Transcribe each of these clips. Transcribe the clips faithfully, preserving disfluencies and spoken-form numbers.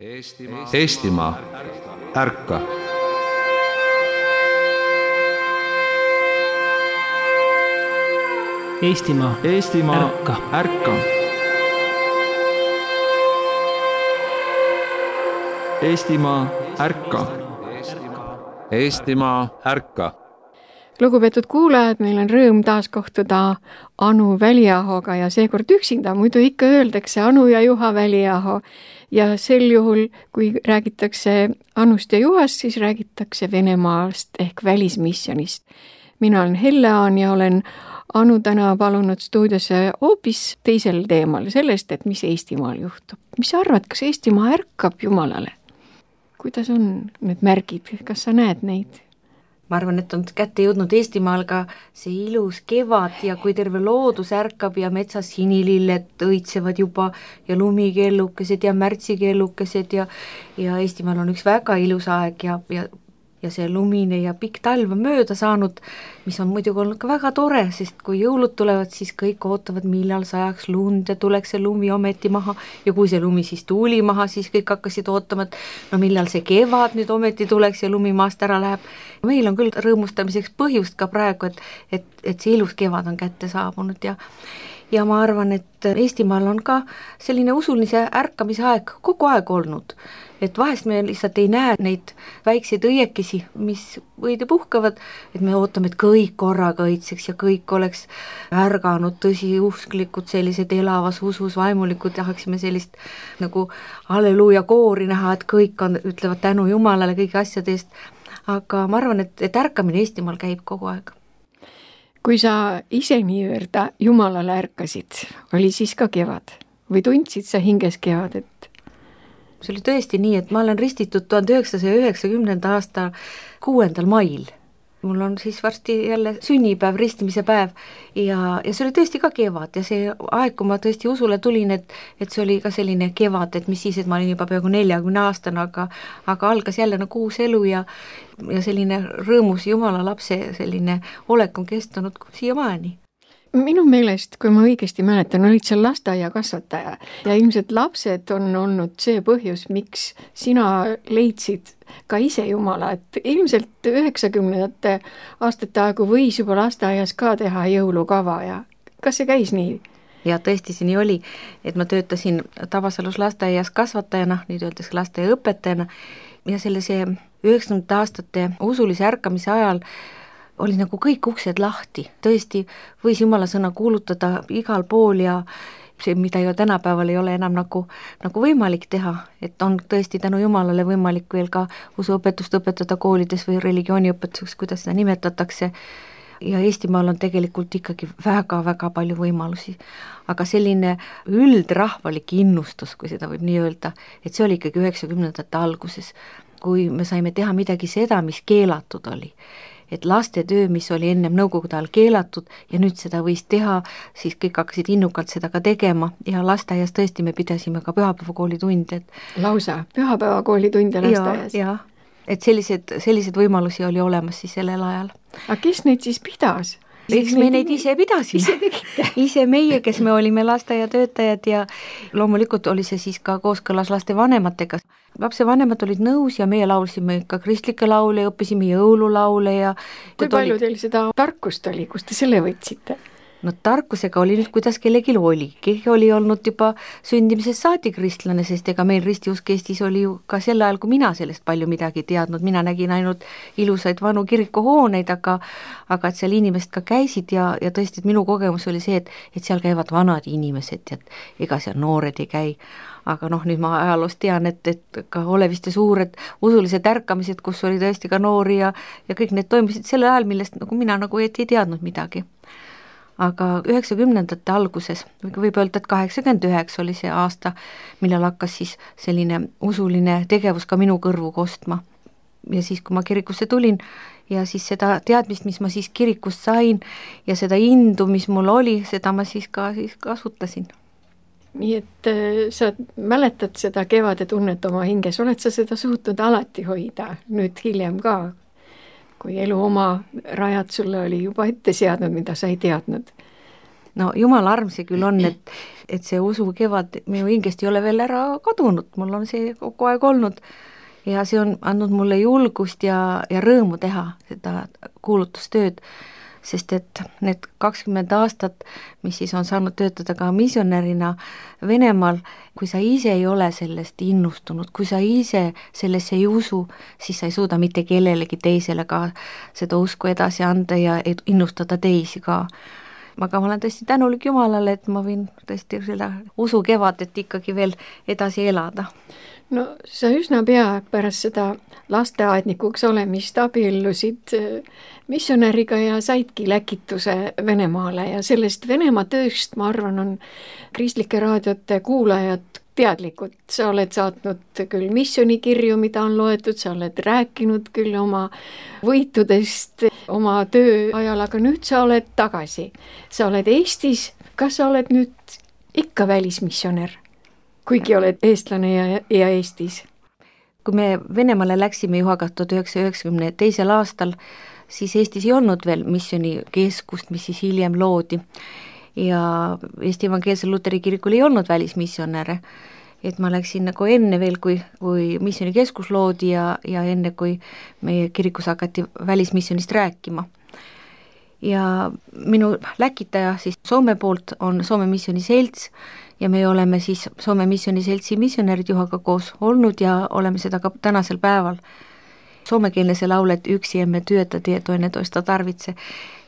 Eestimaa, Eestimaa, ärka! Eestimaa, Eestimaa, ärka! ärka! Eestimaa, ärka! Eestimaa, ärka! Lugupeetud kuulajad, meil on rõõm taas kohtuda Anu Väliahoga ja seekord üksinda, muidu ikka öeldakse Anu ja Juha Väliaho. Ja sel juhul, kui räägitakse Anust ja Juhast, siis räägitakse Venemaast ehk välismissionist. Mina olen Helle-Aan ja olen Anu täna palunud stuudiosse hoopis teisel teemal, sellest, et mis Eestimaal juhtub. Mis sa arvad, kas Eestimaa ärkab Jumalale? Kuidas on need märgid? Kas sa näed neid? Ma arvan, et on kätte jõudnud Eestimaal ka see ilus kevad ja kui terve loodus ärkab ja metsas sinililled õitsevad juba ja lumikellukesed ja märtsikellukesed ja, ja Eestimaal on üks väga ilus aeg ja, ja, ja see lumine ja pikk talv on mööda saanud, mis on muidugi olnud ka väga tore, sest kui jõulud tulevad, siis kõik ootavad, millal sajaks lund ja tuleks see lumi ometi maha ja kui see lumi siis tuli maha, siis kõik hakkasid ootama, et no millal see kevad nüüd ometi tuleks ja lumi maast ära läheb. Meil on küll rõõmustamiseks põhjust ka praegu, et, et, et see ilus kevad on kätte saabunud ja, ja ma arvan, et Eestimaal on ka selline usulise ärkamise aeg kogu aeg olnud. Et vahest me lihtsalt ei näe neid väikseid õiekesi, mis võid ja puhkavad, et me ootame, et kõik korraga õitseks ja kõik oleks ärganud, tõsiusklikud, sellised elavas usus vaimulikud, tahaksime sellist nagu halleluuja koori näha, et kõik on, ütlevad tänu Jumalale kõigi asjade eest. Aga ma arvan, et, et ärkamine Eestimaal käib kogu aeg. Kui sa ise nii-öelda Jumalale ärkasid, oli siis ka kevad? Või tundsid sa hinges kevadet? See oli tõesti nii, et ma olen ristitud tuhande üheksasaja üheksakümnenda aasta kuuendal mail. Mul on siis varsti jälle sünnipäev, ristimise päev ja, ja see oli tõesti ka kevad ja see aeg, kui ma tõesti usule tulin, et, et see oli ka selline kevad, et mis siis, et ma olin juba peaaegu neljakümne aastane, aga, aga algas jälle nagu uus elu ja, ja selline rõõmus Jumala lapse selline olek on kestunud siiamaani. Minu meelest, kui ma õigesti mäletan, olid seal lasteaia kasvataja ja ilmselt lapsed on olnud see põhjus, miks sina leidsid ka ise Jumala, et ilmselt üheksakümnendate aastate aegu võis juba lasteaias ka teha jõulukava ja kas see käis nii? Ja tõesti see nii oli, et ma töötasin Tabasalus lasteaias kasvatajana, nüüd öeldakse lasteaiaõpetajana ja selle see üheksakümnendate aastate usulise ärkamise ajal oli nagu kõik uksed lahti, tõesti võis Jumala sõna kuulutada igal pool ja see, mida ju tänapäeval ei ole enam nagu, nagu võimalik teha, et on tõesti tänu Jumalale võimalik veel ka usuõpetust õpetada koolides või religiooniõpetuseks, kuidas seda nimetatakse ja Eestimaal on tegelikult ikkagi väga-väga palju võimalusi, aga selline üldrahvalik innustus, kui seda võib nii öelda, et see oli ikkagi üheksakümnendate alguses, kui me saime teha midagi seda, mis keelatud oli. Et laste töö, mis oli ennem nõukogude ajal keelatud ja nüüd seda võis teha, siis kõik hakkasid innukalt seda ka tegema ja lasteaias tõesti me pidasime ka pühapäevakoolitunde. Lausa pühapäevakoolitunde lasteaias? Ja, ja, et sellised, sellised võimalusi oli olemas siis sellel ajal. Aga kes neid siis pidas? Eks me neid ise pidasime, ise, ise meie, kes me olime lasteaiatöötajad ja loomulikult oli see siis ka kooskõlas laste vanematega. Lapse vanemad olid nõus ja meie laulsime ka kristlikke laule ja õppisime jõululaule. Ja kui palju teil seda tarkust oli, kust te selle võtsite? No tarkusega oli nüüd, kuidas kellegi oli. Keegi oli olnud juba sündimisest saati kristlane, sest ega meil ristiusk Eestis oli ju ka sel ajal, kui mina sellest palju midagi teadnud. Mina nägin ainult ilusaid vanu kirikuhooneid, aga, aga et seal inimesed ka käisid ja, ja tõesti, et minu kogemus oli see, et, et seal käivad vanad inimesed ja ega seal noored ei käi. Aga noh, nüüd ma ajaloost tean, et, et ka Oleviste suured usulised ärkamised, kus oli tõesti ka noori ja, ja kõik need toimisid selle ajal, millest nagu mina nagu ei teadnud midagi. Aga üheksakümnendate alguses, võib öelda, et kaheksakümmend üheksa oli see aasta, millal hakkas siis selline usuline tegevus ka minu kõrvu kostma. Ja siis, kui ma kirikusse tulin ja siis seda teadmist, mis ma siis kirikust sain ja seda indu, mis mul oli, seda ma siis ka siis kasutasin. Nii et sa mäletad seda kevade tunnet oma hinges, oled sa seda suutnud alati hoida, nüüd hiljem ka? Kui elu oma rajad sulle oli juba ette seadnud, mida sa ei teadnud. no jumala arm see küll on, et, et see usukevad minu hingest ei ole veel ära kadunud, mul on see kogu aeg olnud ja see on andnud mulle julgust ja, ja rõõmu teha seda kuulutustööd, sest et need kakskümmend aastat, mis siis on saanud töötada ka missionärina Venemaal, kui sa ise ei ole sellest innustunud, kui sa ise sellesse ei usu, siis sa ei suuda mitte kellelegi teisele ka seda usku edasi anda ja innustada teisi ka. Aga ma olen tõesti tänulik Jumalale, et ma võin tõesti seda usukevadet ikkagi veel edasi elada. No sa üsna pea pärast seda lasteaednikuks olemist abiellusid missionäriga ja saidki läkituse Venemaale ja sellest Venemaa tööst, ma arvan, on kristlike raadiote kuulajad teadlikud. Sa oled saatnud küll missionikirju, mida on loetud, sa oled rääkinud küll oma võitudest oma töö ajal, aga nüüd sa oled tagasi. Sa oled Eestis, kas sa oled nüüd ikka välismissionär? Kuigi oled eestlane ja, ja Eestis. Kui me Venemaale läksime Juhaga tuhat üheksasaja üheksakümne teisel aastal, siis Eestis ei olnud veel missionikeskust, mis siis hiljem loodi. Ja Eesti Evangeelsel Luteri kirikul ei olnud välismissionäre. Et ma läksin nagu enne veel, kui, kui missionikeskus loodi ja, ja enne, kui meie kirikus hakati välismissionist rääkima. Ja minu läkitaja siis Soome poolt on Soome missioniselts ja me oleme siis Soome missioniseltsi missionärid Juhaga koos olnud ja oleme seda ka tänasel päeval. Soomekeelne see laul, et üksi emme työtä tie toinen toista tarvitse.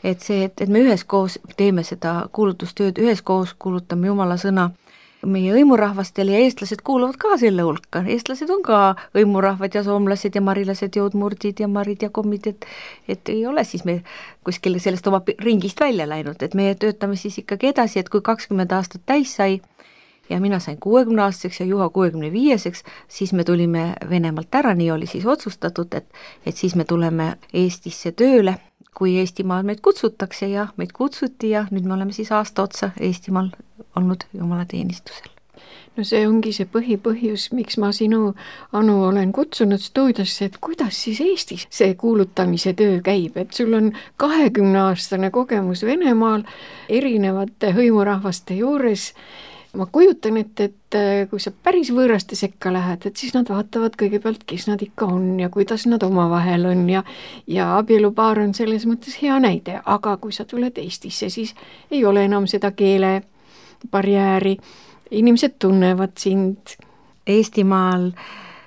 Et see, et, et me üheskoos teeme seda kuulutustööd, üheskoos kuulutame Jumala sõna. Meie õimurahvastel ja eestlased kuuluvad ka selle hulka. Eestlased on ka õimurahvad ja soomlased ja marilased, joodmurdid ja marid ja kommid, et, et ei ole siis me kuskil sellest oma ringist välja läinud, et me töötame siis ikkagi edasi, et kui kakskümmend aastat täis sai ja mina sain kuuekümne aastaseks ja Juha kuuekümne viieseks, siis me tulime Venemaalt ära, nii oli siis otsustatud, et, et siis me tuleme Eestisse tööle, kui Eestimaal meid kutsutakse ja meid kutsuti ja nüüd me oleme siis aasta otsa Eestimaal olnud Jumala teenistusel. No see ongi see põhipõhjus, miks ma sinu, Anu, olen kutsunud stuudiosse, et kuidas siis Eestis see kuulutamise töö käib, et sul on kahekümne aastane kogemus Venemaal erinevate hõimurahvaste juures. Ma kujutan, et, et kui sa päris võõraste sekka lähed, et siis nad vaatavad kõigepealt, kes nad ikka on ja kuidas nad omavahel on ja, ja abielupaar on selles mõttes hea näide, aga kui sa tuled Eestisse, siis ei ole enam seda keele barjääri, inimesed tunnevad sind. Eestimaal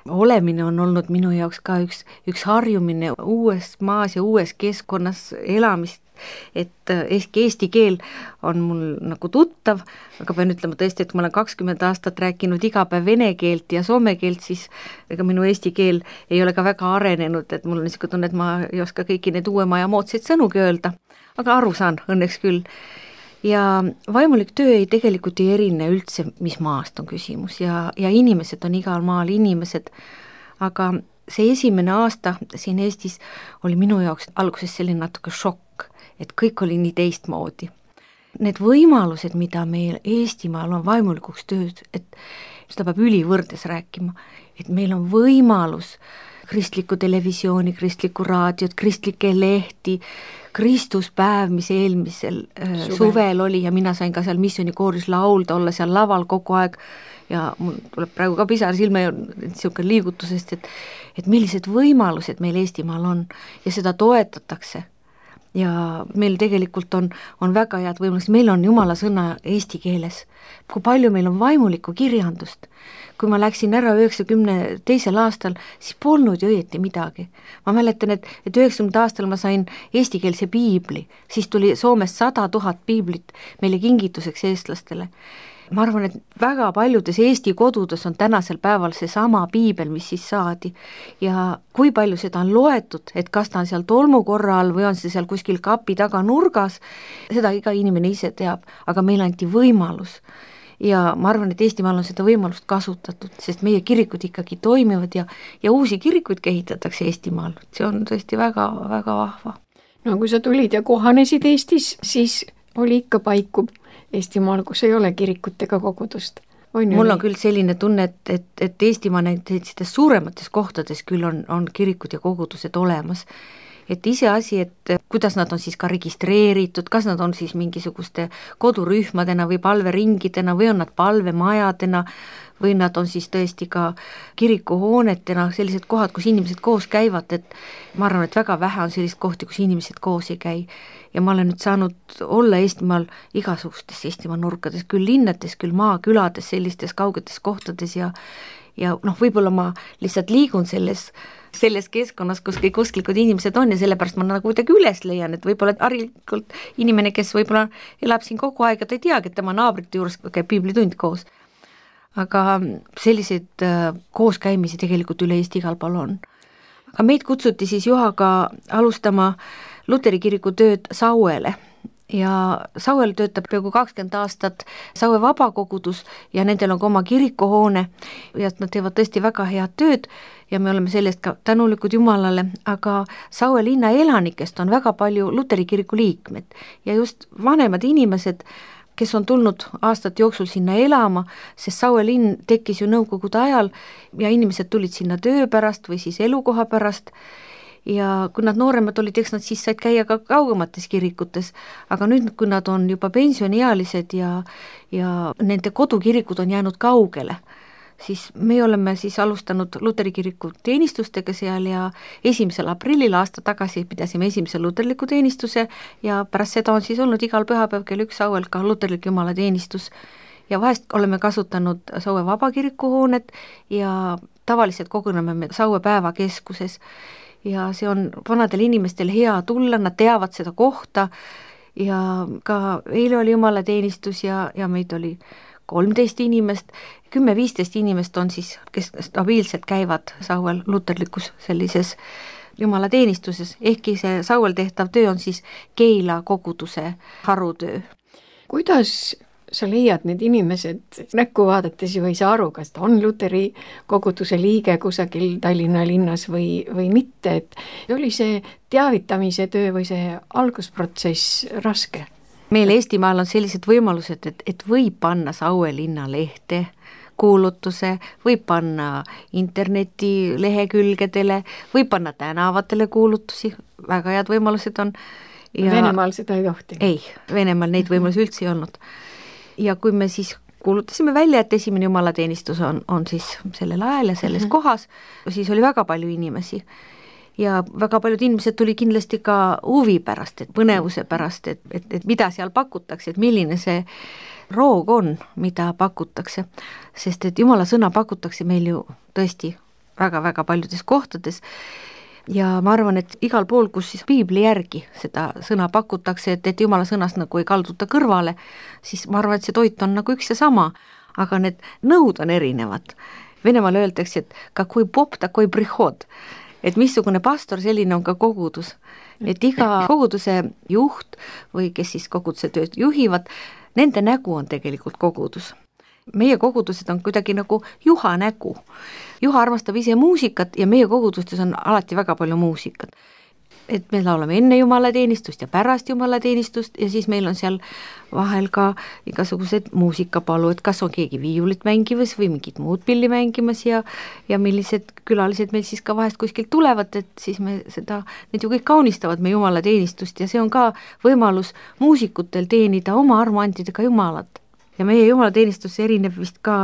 olemine on olnud minu jaoks ka üks, üks harjumine uues maas ja uues keskkonnas elamist, et eesti keel on mul nagu tuttav, aga pean ütlema tõesti, et kui ma olen kakskümmend aastat rääkinud iga päev vene keelt ja soome keelt, siis ega minu eesti keel ei ole ka väga arenenud, et mul on niisugune tunne, et ma ei oska kõiki need uuema ja moodsaid sõnugi öelda, aga aru saan õnneks küll. Ja vaimulik töö ei tegelikult ei erine üldse, mis maast on küsimus ja, ja inimesed on igal maal inimesed, aga see esimene aasta siin Eestis oli minu jaoks alguses selline natuke šokk, et kõik oli nii teistmoodi. Need võimalused, mida meil Eestimaal on vaimulikuks tööd, et seda peab ülivõrdes rääkima, et meil on võimalus kristlikku televisiooni, kristlikku raadiot, kristlikke lehti, Kristuspäev, mis eelmisel suvel. suvel oli ja mina sain ka seal missionikooris laulda, olla seal laval kogu aeg ja mul tuleb praegu ka pisar silme niisugune liigutusest, et, et millised võimalused meil Eestimaal on ja seda toetatakse. Ja meil tegelikult on, on väga head võimalused, meil on Jumala sõna eesti keeles, kui palju meil on vaimulikku kirjandust. Kui ma läksin ära üheksakümne teisel aastal, siis polnud ju õieti midagi. Ma mäletan, et, et üheksakümnendal aastal ma sain eestikeelse piibli, siis tuli Soomest sada tuhat piiblit meile kingituseks eestlastele. Ma arvan, et väga paljudes Eesti kodudes on tänasel päeval see sama piibel, mis siis saadi ja kui palju seda on loetud, et kas ta on seal tolmukorra all või on see seal kuskil kapi taga nurgas, seda iga inimene ise teab, aga meil anti võimalus ja ma arvan, et Eestimaal on seda võimalust kasutatud, sest meie kirikud ikkagi toimivad ja, ja uusi kirikuid kehitatakse Eestimaal, see on tõesti väga, väga vahva. No kui sa tulid ja kohanesid Eestis, siis oli ikka paiku Eestimaal, kus ei ole kirikut ega kogudust. On mul on küll selline tunne, et, et, et Eestimaa näiteks suuremates kohtades küll on, on kirikud ja kogudused olemas et iseasi, et kuidas nad on siis ka registreeritud, kas nad on siis mingisuguste kodurühmadena või palveringidena või on nad palvemajadena või nad on siis tõesti ka kirikuhoonetena, sellised kohad, kus inimesed koos käivad, et ma arvan, et väga vähe on sellist kohti, kus inimesed koos ei käi. Ja ma olen nüüd saanud olla Eestimaal igasugustes Eestimaa nurkades, küll linnades, küll maakülades, sellistes kaugetes kohtades ja ja noh, võib-olla ma lihtsalt liigun selles, selles keskkonnas, kus kõik usklikud inimesed on ja sellepärast ma nagu kuidagi üles leian, et võib-olla harilikult inimene, kes võib-olla elab siin kogu aeg ja ta ei teagi, et tema naabrite juures käib piiblitund koos. Aga selliseid äh, kooskäimisi tegelikult üle Eesti igal pool on. Aga meid kutsuti siis Juhaga alustama Luteri kiriku tööd Sauele ja Sauel töötab peaaegu kakskümmend aastat Saue vabakogudus ja nendel on ka oma kirikuhoone ja nad teevad tõesti väga head tööd ja me oleme sellest ka tänulikud Jumalale, aga Saue linna elanikest on väga palju Luteri kiriku liikmed ja just vanemad inimesed, kes on tulnud aastate jooksul sinna elama, sest Saue linn tekkis ju nõukogude ajal ja inimesed tulid sinna töö pärast või siis elukoha pärast ja kui nad nooremad olid, eks nad siis said käia ka kaugemates kirikutes, aga nüüd, kui nad on juba pensioniealised ja, ja nende kodukirikud on jäänud kaugele, siis me oleme siis alustanud Luteri kiriku teenistustega seal ja esimesel aprillil aasta tagasi pidasime esimese luterliku teenistuse ja pärast seda on siis olnud igal pühapäev kell üks Sauel ka luterlik jumalateenistus ja vahest oleme kasutanud Saue vabakiriku hoonet ja tavaliselt koguneme me Saue päevakeskuses ja see on vanadel inimestel hea tulla, nad teavad seda kohta ja ka eile oli jumalateenistus ja, ja meid oli kolmteist inimest, kümme-viisteist inimest on siis, kes stabiilselt käivad Sauel luterlikus sellises jumalateenistuses, ehkki see Sauel tehtav töö on siis Keila koguduse harutöö. Kuidas sa leiad need inimesed, näkku vaadates ju ei saa aru, kas ta on Luteri koguduse liige kusagil Tallinna linnas või, või mitte, et oli see teavitamise töö või see algusprotsess raske? Meil Eestimaal on sellised võimalused, et, et võib panna Saue linna lehte, kuulutuse, võib panna interneti lehekülgedele, võib panna tänavatele kuulutusi, väga head võimalused on. Ja Venemaal seda ei tohti? Ei, Venemaal neid võimalusi üldse ei olnud. Ja kui me siis kuulutasime välja, et esimene jumalateenistus on, on siis sellel ajal ja selles mm-hmm. kohas, siis oli väga palju inimesi. Ja väga paljud inimesed tuli kindlasti ka huvi pärast, et põnevuse pärast, et, et, et mida seal pakutakse, et milline see roog on, mida pakutakse. Sest et Jumala sõna pakutakse meil ju tõesti väga-väga paljudes kohtades. Ja ma arvan, et igal pool, kus siis piibli järgi seda sõna pakutakse, et, et Jumala sõnast nagu ei kalduta kõrvale, siis ma arvan, et see toit on nagu üks ja sama, aga need nõud on erinevad. Venemaal öeldakse, et kakoi pop, takoi prihod. Et missugune pastor, selline on ka kogudus. Et iga koguduse juht või kes siis koguduse tööd juhivad, nende nägu on tegelikult kogudus. Meie kogudused on kuidagi nagu Juha nägu. Juha armastab ise muusikat ja meie kogudustes on alati väga palju muusikat. Et me laulame enne jumalateenistust ja pärast jumalateenistust ja siis meil on seal vahel ka igasugused muusikapalu, et kas on keegi viiulit mängimas või mingit muud pilli mängimas ja, ja millised külalised meil siis ka vahest kuskilt tulevad, et siis me seda, need ju kõik kaunistavad me jumalateenistust ja see on ka võimalus muusikutel teenida oma armuandidega Jumalat. Ja meie jumalateenistus erineb vist ka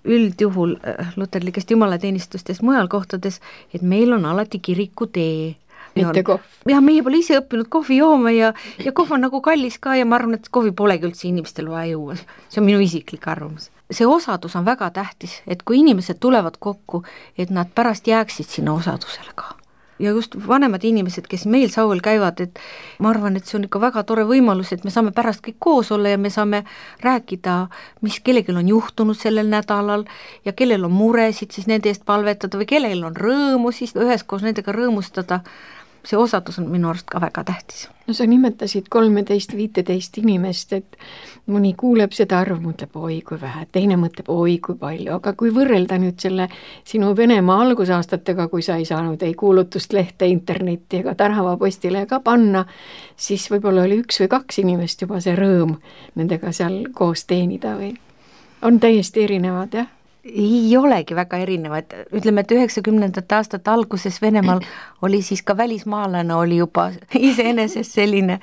üldjuhul luterlikest jumalateenistustest mujal kohtades, et meil on alati kirikutee. Mitte kohv. Ja meie pole ise õppinud kohvi jooma ja, ja kohv on nagu kallis ka ja ma arvan, et kohvi polegi üldse inimestel vaja juua. See on minu isiklik arvamus. See osadus on väga tähtis, et kui inimesed tulevad kokku, et nad pärast jääksid sinna osadusele ka. Ja just vanemad inimesed, kes meil Sauel käivad, et ma arvan, et see on ikka väga tore võimalus, et me saame pärast kõik koos olla ja me saame rääkida, mis kellelgi on juhtunud sellel nädalal ja kellel on muresid, siis nende eest palvetada või kellel on rõõmu, siis üheskoos nendega rõõmustada. See osadus on minu arust ka väga tähtis. No sa nimetasid kolmeteist viiteist inimest, et mõni kuuleb seda arv, mõtleb oi kui vähe, teine mõtleb oi kui palju, aga kui võrrelda nüüd selle sinu Venemaa algusaastatega, kui sa ei saanud ei kuulutust lehte, internetti ega tänavapostile ka panna, siis võib-olla oli üks või kaks inimest juba see rõõm nendega seal koos teenida või on täiesti erinevad, jah? ei olegi väga erinevad, ütleme, et üheksakümnendate aastate alguses Venemaal oli siis ka välismaalane oli juba iseenesest selline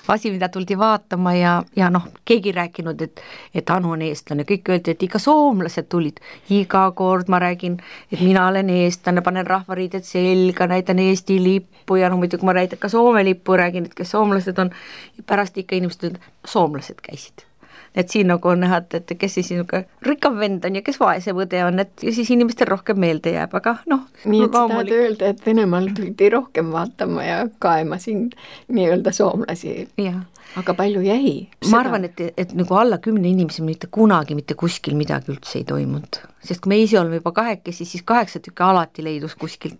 asi, mida tuldi vaatama ja, ja noh, keegi rääkinud, et, et Anu on eestlane, kõik öeldi, et ikka soomlased tulid, iga kord ma räägin, et mina olen eestlane, panen rahvariided selga, näitan Eesti lippu ja no muidugi ma näitan ka Soome lippu, räägin, et kes soomlased on, pärast ikka inimesed ütlevad, soomlased käisid. Et siin nagu on näha, et kes siis rikkam vend on ja kes vaesem õde on, et ja siis inimestel rohkem meelde jääb, aga noh. Nii et sa tahad öelda, et Venemaal tuldi rohkem vaatama ja kaema sind nii-öelda soomlasi. Ja. Aga palju jäi? Seda? Ma arvan, et, et nagu alla kümne inimese mitte kunagi mitte kuskil midagi üldse ei toimunud. Sest kui me ise oleme juba kahekesi, siis kaheksa tükki alati leidus kuskilt.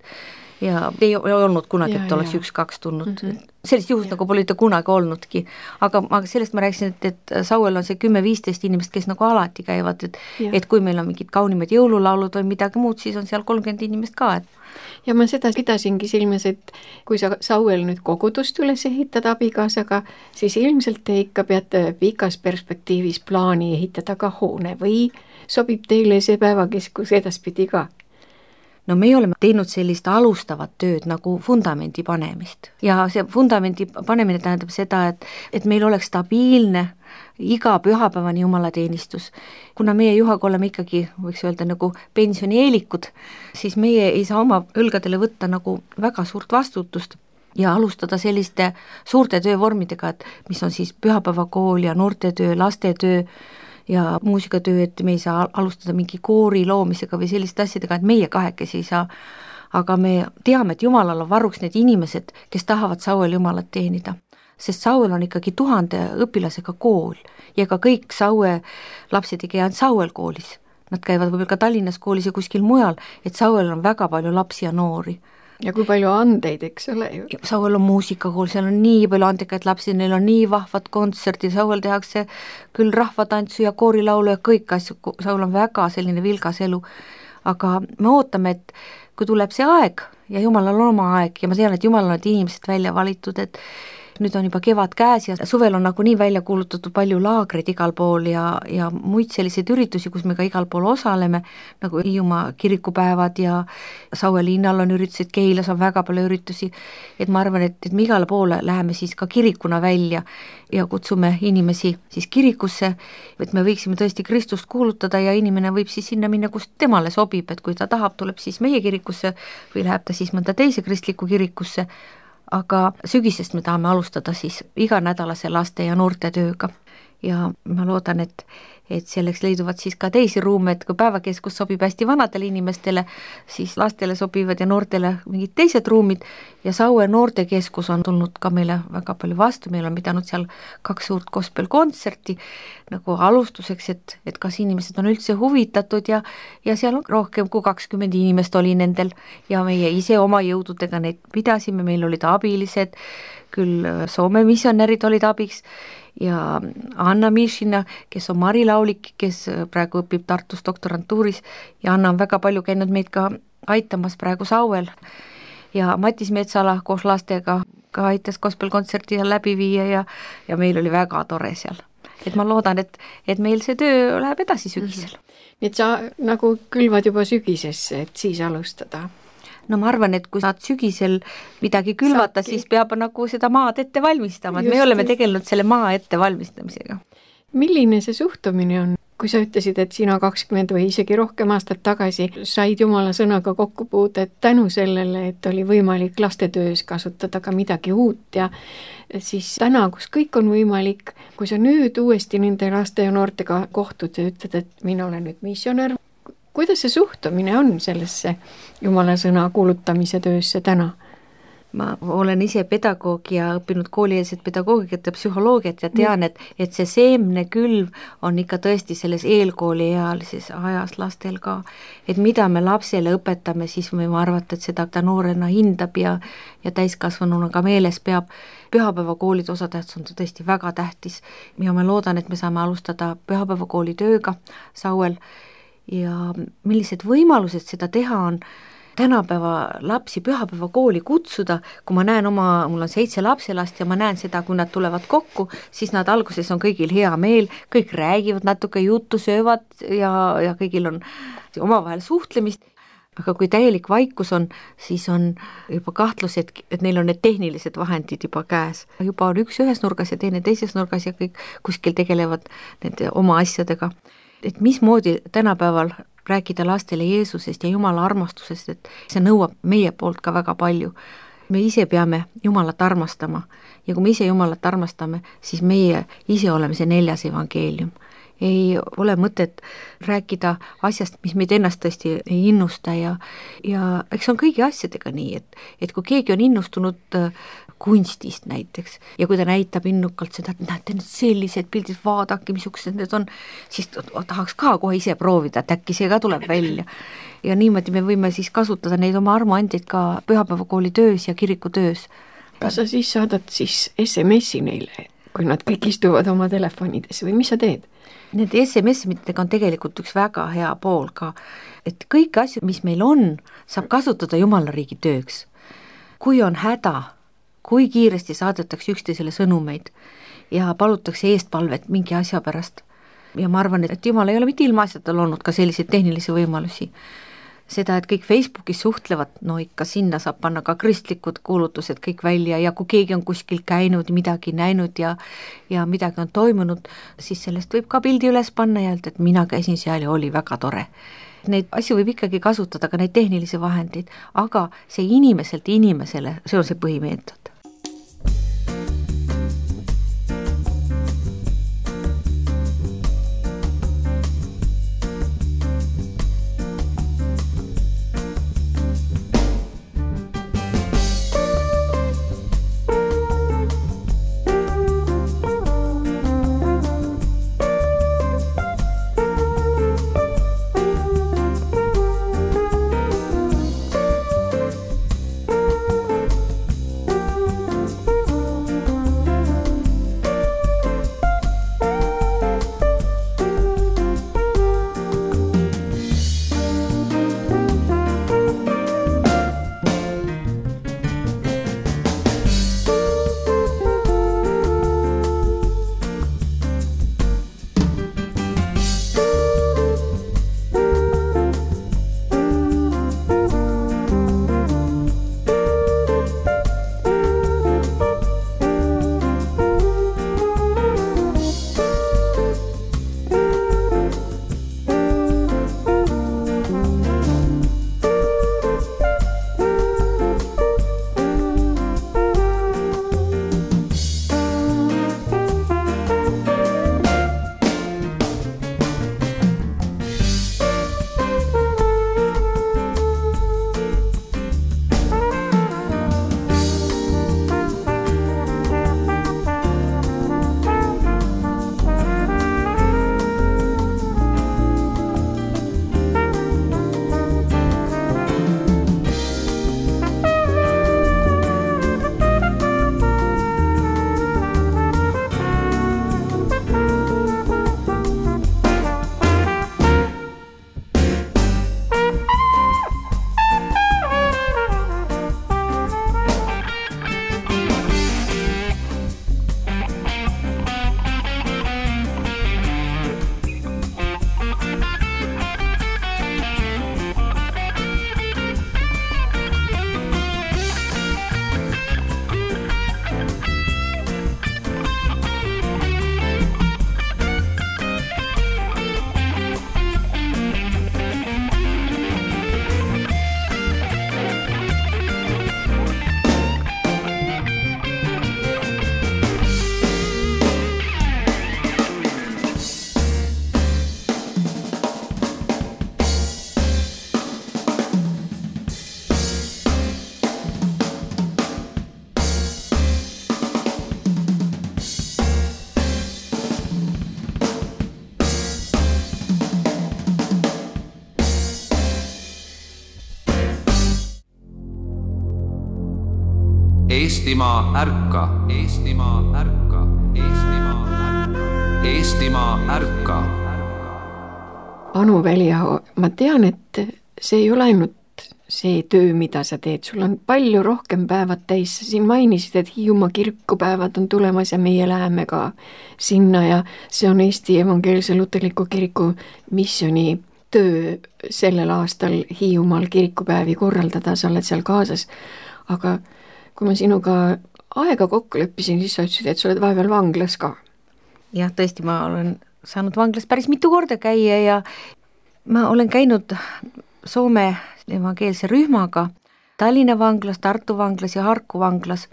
Ja ei olnud kunagi, et oleks üks-kaks tulnud. Mm -hmm. Sellist juhust ja. Nagu pole kunagi olnudki. Aga, aga sellest ma rääkisin, et, et Sauel on see kümme-viisteist inimest, kes nagu alati käivad, et, et kui meil on mingid kaunimad jõululaulud või midagi muud, siis on seal kolmkümmend inimest ka. Et... Ja ma seda pidasingi silmes, et kui sa Sauel nüüd kogudust üles ehitad abikaasaga, siis ilmselt te ikka peate pikas perspektiivis plaani ehitada ka hoone või sobib teile see päevakeskus edaspidi ka? No me oleme teinud sellist alustavat tööd nagu fundamendi panemist ja see fundamendi panemine tähendab seda, et, et meil oleks stabiilne iga pühapäevani jumalateenistus. Kuna meie Juhaga oleme ikkagi, võiks öelda, nagu pensionieelikud, siis meie ei saa oma õlgadele võtta nagu väga suurt vastutust ja alustada selliste suurte töövormidega, et mis on siis pühapäevakool ja noortetöö, lastetöö, ja muusikatöö, et me ei saa alustada mingi koori loomisega või selliste asjadega, et meie kahekesi ei saa, aga me teame, et Jumalal on varuks need inimesed, kes tahavad Sauel Jumalat teenida, sest Sauel on ikkagi tuhande õpilasega kool ja ka kõik Saue lapsed ei käi ainult Sauel koolis, nad käivad võib-olla ka Tallinnas koolis ja kuskil mujal, et Sauel on väga palju lapsi ja noori. Ja kui palju andeid, eks ole ju. Sauel on muusikakool, seal on nii palju andekaid lapsi, neil on nii vahvad kontserti, Sauel tehakse küll rahvatantsu ja koorilaulu ja kõik asju, Sauel on väga selline vilgas elu, aga me ootame, et kui tuleb see aeg ja Jumalal on oma aeg ja ma tean, et Jumalal on inimesed välja valitud, et nüüd on juba kevad käes ja suvel on nagu nii välja kuulutatud palju laagreid igal pool ja, ja muid selliseid üritusi, kus me ka igal pool osaleme, nagu Hiiumaa kirikupäevad ja Saue linnal on üritused, Keilas on väga palju üritusi, et ma arvan, et, et me igale poole läheme siis ka kirikuna välja ja kutsume inimesi siis kirikusse, et me võiksime tõesti Kristust kuulutada ja inimene võib siis sinna minna, kus temale sobib, et kui ta tahab, tuleb siis meie kirikusse või läheb ta siis mõnda teise kristlikku kirikusse, aga sügisest me tahame alustada siis iganädalase laste ja noorte tööga ja ma loodan, et, et selleks leiduvad siis ka teisi ruume, et kui päevakeskus sobib hästi vanadele inimestele, siis lastele sobivad ja noortele mingid teised ruumid ja Saue noortekeskus on tulnud ka meile väga palju vastu, meil on pidanud seal kaks suurt gospel-kontserti nagu alustuseks, et, et kas inimesed on üldse huvitatud ja, ja seal on rohkem kui kakskümmend inimest oli nendel ja meie ise oma jõududega neid pidasime, meil olid abilised, küll Soome missionärid olid abiks ja Anna Mišina, kes on Mari Laulik, kes praegu õpib Tartus doktorantuuris ja Anna on väga palju käinud meid ka aitamas praegu Sauel ja Matis Metsala koos lastega ka aitas gospel-kontserti läbi viia ja, ja meil oli väga tore seal. Et ma loodan, et, et meil see töö läheb edasi sügisel. Nii et sa nagu külvad juba sügisesse, et siis alustada? No ma arvan, et kui saad sügisel midagi külvata, Saabki. Siis peab nagu seda maad ette valmistama, et just, me oleme just. tegelenud selle maa ette valmistamisega. Milline see suhtumine on? Kui sa ütlesid, et sina kakskümmend või isegi rohkem aastat tagasi said Jumala sõnaga kokku puude tänu sellele, et oli võimalik lastetöös kasutada ka midagi uut ja siis täna, kus kõik on võimalik, kui sa nüüd uuesti nende laste ja noortega kohtud ja ütled, et mina olen nüüd missionär, kuidas see suhtumine on sellesse Jumala sõna kuulutamise töösse täna? Ma olen ise pedagoog ja õppinud koolieelset pedagoogiat ja psühholoogiat ja tean, et, et see seemne külv on ikka tõesti selles eelkooliealises ajas lastel ka. Et mida me lapsele õpetame, siis võime arvata, et seda ta noorena hindab ja, ja täiskasvanuna ka meeles peab. Pühapäevakoolide osatähtsus on tõesti väga tähtis ja ma loodan, et me saame alustada pühapäevakooli tööga Sauel ja millised võimalused seda teha on. tänapäeva lapsi pühapäeva kooli kutsuda, kui ma näen oma, mul on seitse lapselast ja ma näen seda, kui nad tulevad kokku, siis nad alguses on kõigil hea meel, kõik räägivad natuke juttu, söövad ja, ja kõigil on omavahel suhtlemist. Aga kui täielik vaikus on, siis on juba kahtlus, et, et neil on need tehnilised vahendid juba käes. Juba on üks ühes nurgas ja teine teises nurgas ja kõik kuskil tegelevad nende oma asjadega. Et mismoodi tänapäeval rääkida lastele Jeesusest ja Jumala armastusest, et see nõuab meie poolt ka väga palju. Me ise peame Jumalat armastama ja kui me ise Jumalat armastame, siis meie ise oleme see neljas evangeelium. Ei ole mõtet rääkida asjast, mis meid ennast tõesti ei innusta ja, ja eks on kõigi asjadega nii, et, et kui keegi on innustunud kunstist näiteks ja kui ta näitab innukalt seda, et näete nüüd sellised pildid, vaadake, missugused need on, siis tahaks ka kohe ise proovida, et äkki see ka tuleb välja. Ja niimoodi me võime siis kasutada neid oma armuandid ka pühapäevakooli töös ja kiriku töös. Kas sa siis saadad siis S M S-i neile, kui nad kõik istuvad oma telefonides või mis sa teed? Need S M S-midega on tegelikult üks väga hea pool ka, et kõik asjad, mis meil on, saab kasutada Jumala riigi tööks. Kui on häda, kui kiiresti saadetakse üksteisele sõnumeid ja palutakse eestpalvet mingi asja pärast. Ja ma arvan, et Jumal ei ole mitte ilma asjatel olnud ka selliseid tehnilisi võimalusi. Seda, et kõik Facebookis suhtlevad, no ikka sinna saab panna ka kristlikud kuulutused kõik välja ja kui keegi on kuskil käinud, midagi näinud ja, ja midagi on toimunud, siis sellest võib ka pildi üles panna ja öelda, et mina käisin seal ja oli väga tore. Neid asju võib ikkagi kasutada ka neid tehnilisi vahendeid, aga see inimeselt inimesele, see on see põhimeetod. Eestimaa ärka, Eestimaa ärka, Eestimaa ärka, Eestimaa ärka. Anu Väliaho, ma tean, et see ei ole ainult see töö, mida sa teed, sul on palju rohkem päevad täis, sa siin mainisid, et Hiiumaa kirikupäevad on tulemas ja meie läheme ka sinna ja see on Eesti Evangeelse Luterliku Kiriku missiooni töö sellel aastal Hiiumaal kirikupäevi korraldada, sa oled seal kaasas. Aga kui ma sinuga aega kokku leppisin, siis sa ütlesid, et sa oled vahepeal vanglas ka. Jah, tõesti, ma olen saanud vanglas päris mitu korda käia ja ma olen käinud Soome evangeelse rühmaga Tallinna vanglas, Tartu vanglas ja Harku vanglas.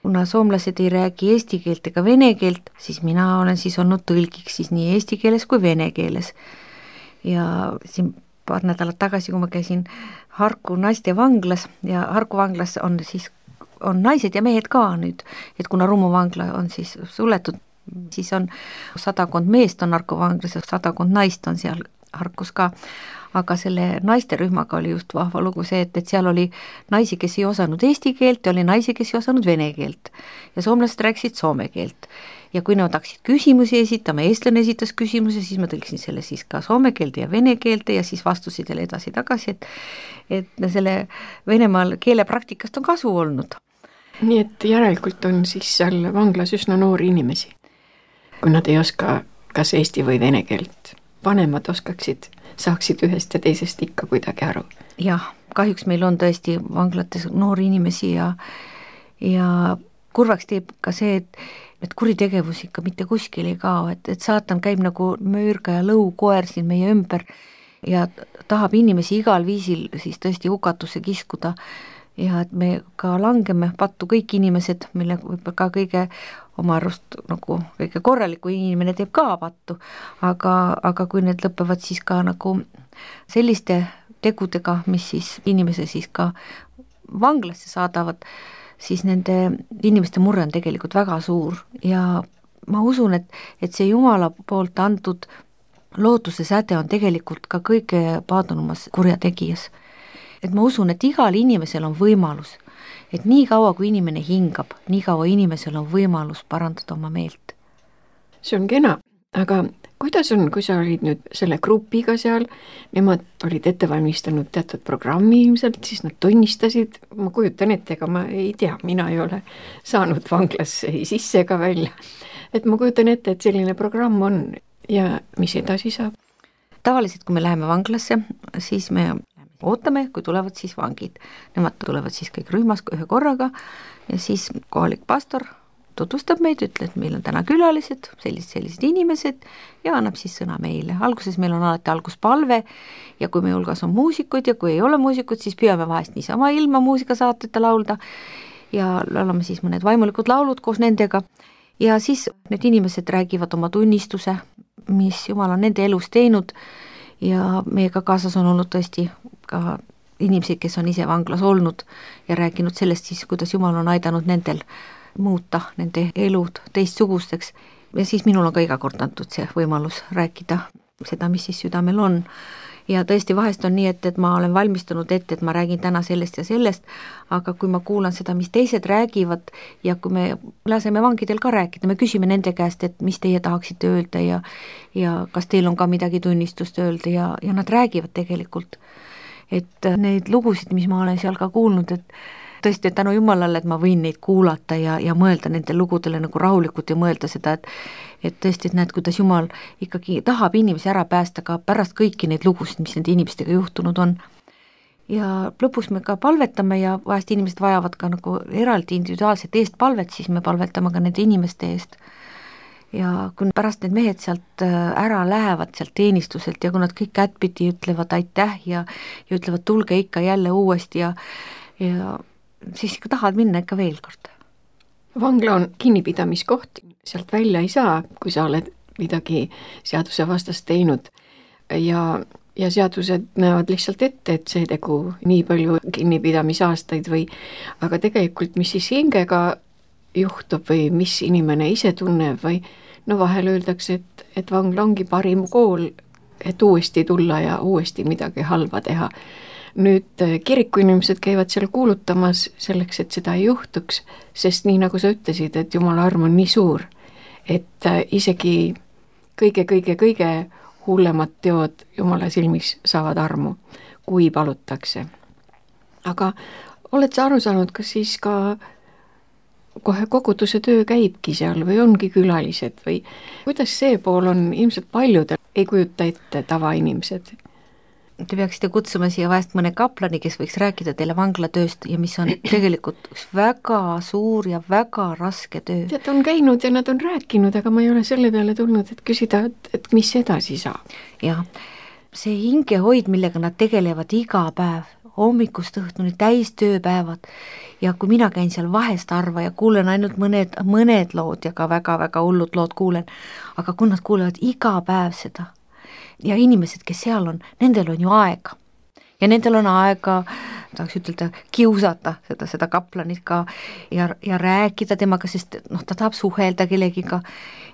Kuna soomlased ei räägi eesti keelt ega vene keelt, siis mina olen siis olnud tõlgiks siis nii eesti keeles kui vene keeles. Ja siin paar nädalat tagasi, kui ma käisin Harku naiste vanglas ja Harku vanglas on siis on naised ja mehed ka nüüd, et kuna Rummu vangla on siis suletud, siis on sadakond meest on Harku vanglas ja sadakond naist on seal Harkus ka. Aga selle naisterühmaga oli just vahva lugu see, et, et seal oli naisi, kes ei osanud eesti keelt ja oli naisi, kes ei osanud vene keelt. Ja soomlased rääkisid soome keelt. Ja kui nad hakkasid küsimusi esitama, eestlane esitas küsimuse, siis ma tõlkisin selle siis ka soome keelde ja vene keelde ja siis vastusid jälle edasi tagasi, et, et selle Venemaal keelepraktikast on kasu olnud. Nii et järelikult on siis seal vanglas üsna noori inimesi, kui nad ei oska kas eesti või vene keelt. Vanemad oskaksid, saaksid ühest ja teisest ikka kuidagi aru. Jah, kahjuks meil on tõesti vanglates noori inimesi ja, ja kurvaks teeb ka see, et, et kuritegevus ikka mitte kuskil ei kao, et, et saatan käib nagu müürga ja lõukoer siin meie ümber ja tahab inimesi igal viisil siis tõesti hukatusse kiskuda ja et me ka langeme pattu kõik inimesed, mille võib ka kõige oma arust nagu kõige korraliku inimene teeb ka pattu, aga, aga kui need lõpevad siis ka nagu selliste tegudega, mis siis inimese siis ka vanglasse saadavad, siis nende inimeste murre on tegelikult väga suur ja ma usun, et, et see Jumala poolt antud lootuse säde on tegelikult ka kõige paadunumas kurjategijas. Et ma usun, et igal inimesel on võimalus, et nii kaua kui inimene hingab, nii kaua inimesel on võimalus parandada oma meelt. See on kena, aga kuidas on, kui sa olid nüüd selle grupiga seal, nemad olid ette valmistanud teatud programmi ilmselt, siis nad tunnistasid, ma kujutan ette, ega ma ei tea, mina ei ole saanud vanglasse ei sisse ega välja, et ma kujutan ette, et selline programm on ja mis edasi saab? Tavaliselt, kui me läheme vanglasse, siis me ootame, kui tulevad siis vangid. Nemad tulevad siis kõik rühmas ühe korraga ja siis kohalik pastor tutvustab meid, ütleb, et meil on täna külalised, sellised, sellised inimesed ja annab siis sõna meile. Alguses meil on alati alguspalve ja kui meie hulgas on muusikud ja kui ei ole muusikud, siis püüame vahest niisama ilma muusikasaateta laulda ja laulame siis mõned vaimulikud laulud koos nendega ja siis need inimesed räägivad oma tunnistuse, mis Jumal on nende elus teinud ja meiega kaasas on olnud tõesti ka inimesed, kes on ise vanglas olnud ja rääkinud sellest siis, kuidas Jumal on aidanud nendel muuta nende elud teistsugusteks ja siis minul on ka iga kord antud see võimalus rääkida seda, mis siis südamel on ja tõesti vahest on nii, et, et ma olen valmistunud ette, et ma räägin täna sellest ja sellest, aga kui ma kuulan seda, mis teised räägivad ja kui me laseme vangidel ka rääkida, me küsime nende käest, et mis teie tahaksite öelda ja, ja kas teil on ka midagi tunnistust öelda ja, ja nad räägivad tegelikult, et neid lugusid, mis ma olen seal ka kuulnud, et tõesti, et tänu Jumalale, et ma võin neid kuulata ja, ja mõelda nende lugudele nagu rahulikult ja mõelda seda, et, et tõesti, et näed, kuidas Jumal ikkagi tahab inimesi ära päästa ka pärast kõiki neid lugusid, mis nende inimestega juhtunud on. Ja lõpus me ka palvetame ja vahest inimesed vajavad ka nagu eraldi individuaalset eestpalvet, siis me palvetame ka nende inimeste eest. Ja kui pärast need mehed sealt ära lähevad sealt teenistuselt ja kui nad kõik kättpidi ütlevad aitäh ja, ja ütlevad tulge ikka jälle uuesti ja, ja siis ikka tahad minna ikka veel kord. Vangla on kinnipidamiskoht, sealt välja ei saa, kui sa oled midagi seaduse vastast teinud ja, ja seadused näevad lihtsalt ette, et see tegu nii palju kinnipidamisaastaid või, aga tegelikult mis siis hingega juhtub või mis inimene ise tunneb või no vahel öeldakse, et, et vangla ongi parim kool, et uuesti tulla ja uuesti midagi halva teha. Nüüd kirikuinimesed käivad seal kuulutamas selleks, et seda ei juhtuks, sest nii nagu sa ütlesid, et Jumala arm on nii suur, et isegi kõige-kõige-kõige hullemad teod Jumala silmis saavad armu, kui palutakse. aga oled sa aru saanud, kas siis ka kohe koguduse töö käibki seal või ongi külalised või kuidas see pool on, ilmselt paljudel ei kujuta ette tavainimesed? Te peaksite kutsuma siia vahest mõne kaplani, kes võiks rääkida teile vanglatööst ja mis on tegelikult üks väga suur ja väga raske töö. Tead, on käinud ja nad on rääkinud, aga ma ei ole selle peale tulnud, et küsida, et, et mis edasi saab. Jah, see hingehoid, millega nad tegelevad iga päev, hommikust õhtuni täis tööpäevad ja kui mina käin seal vahest harva ja kuulen ainult mõned, mõned lood ja ka väga-väga hullud lood kuulen, aga kui nad kuulevad iga päev seda ja inimesed, kes seal on, nendel on ju aega ja nendel on aega, tahaks ütelda, kiusata seda, seda kaplanit ka ja, ja rääkida temaga, sest noh, ta tahab suhelda kellegiga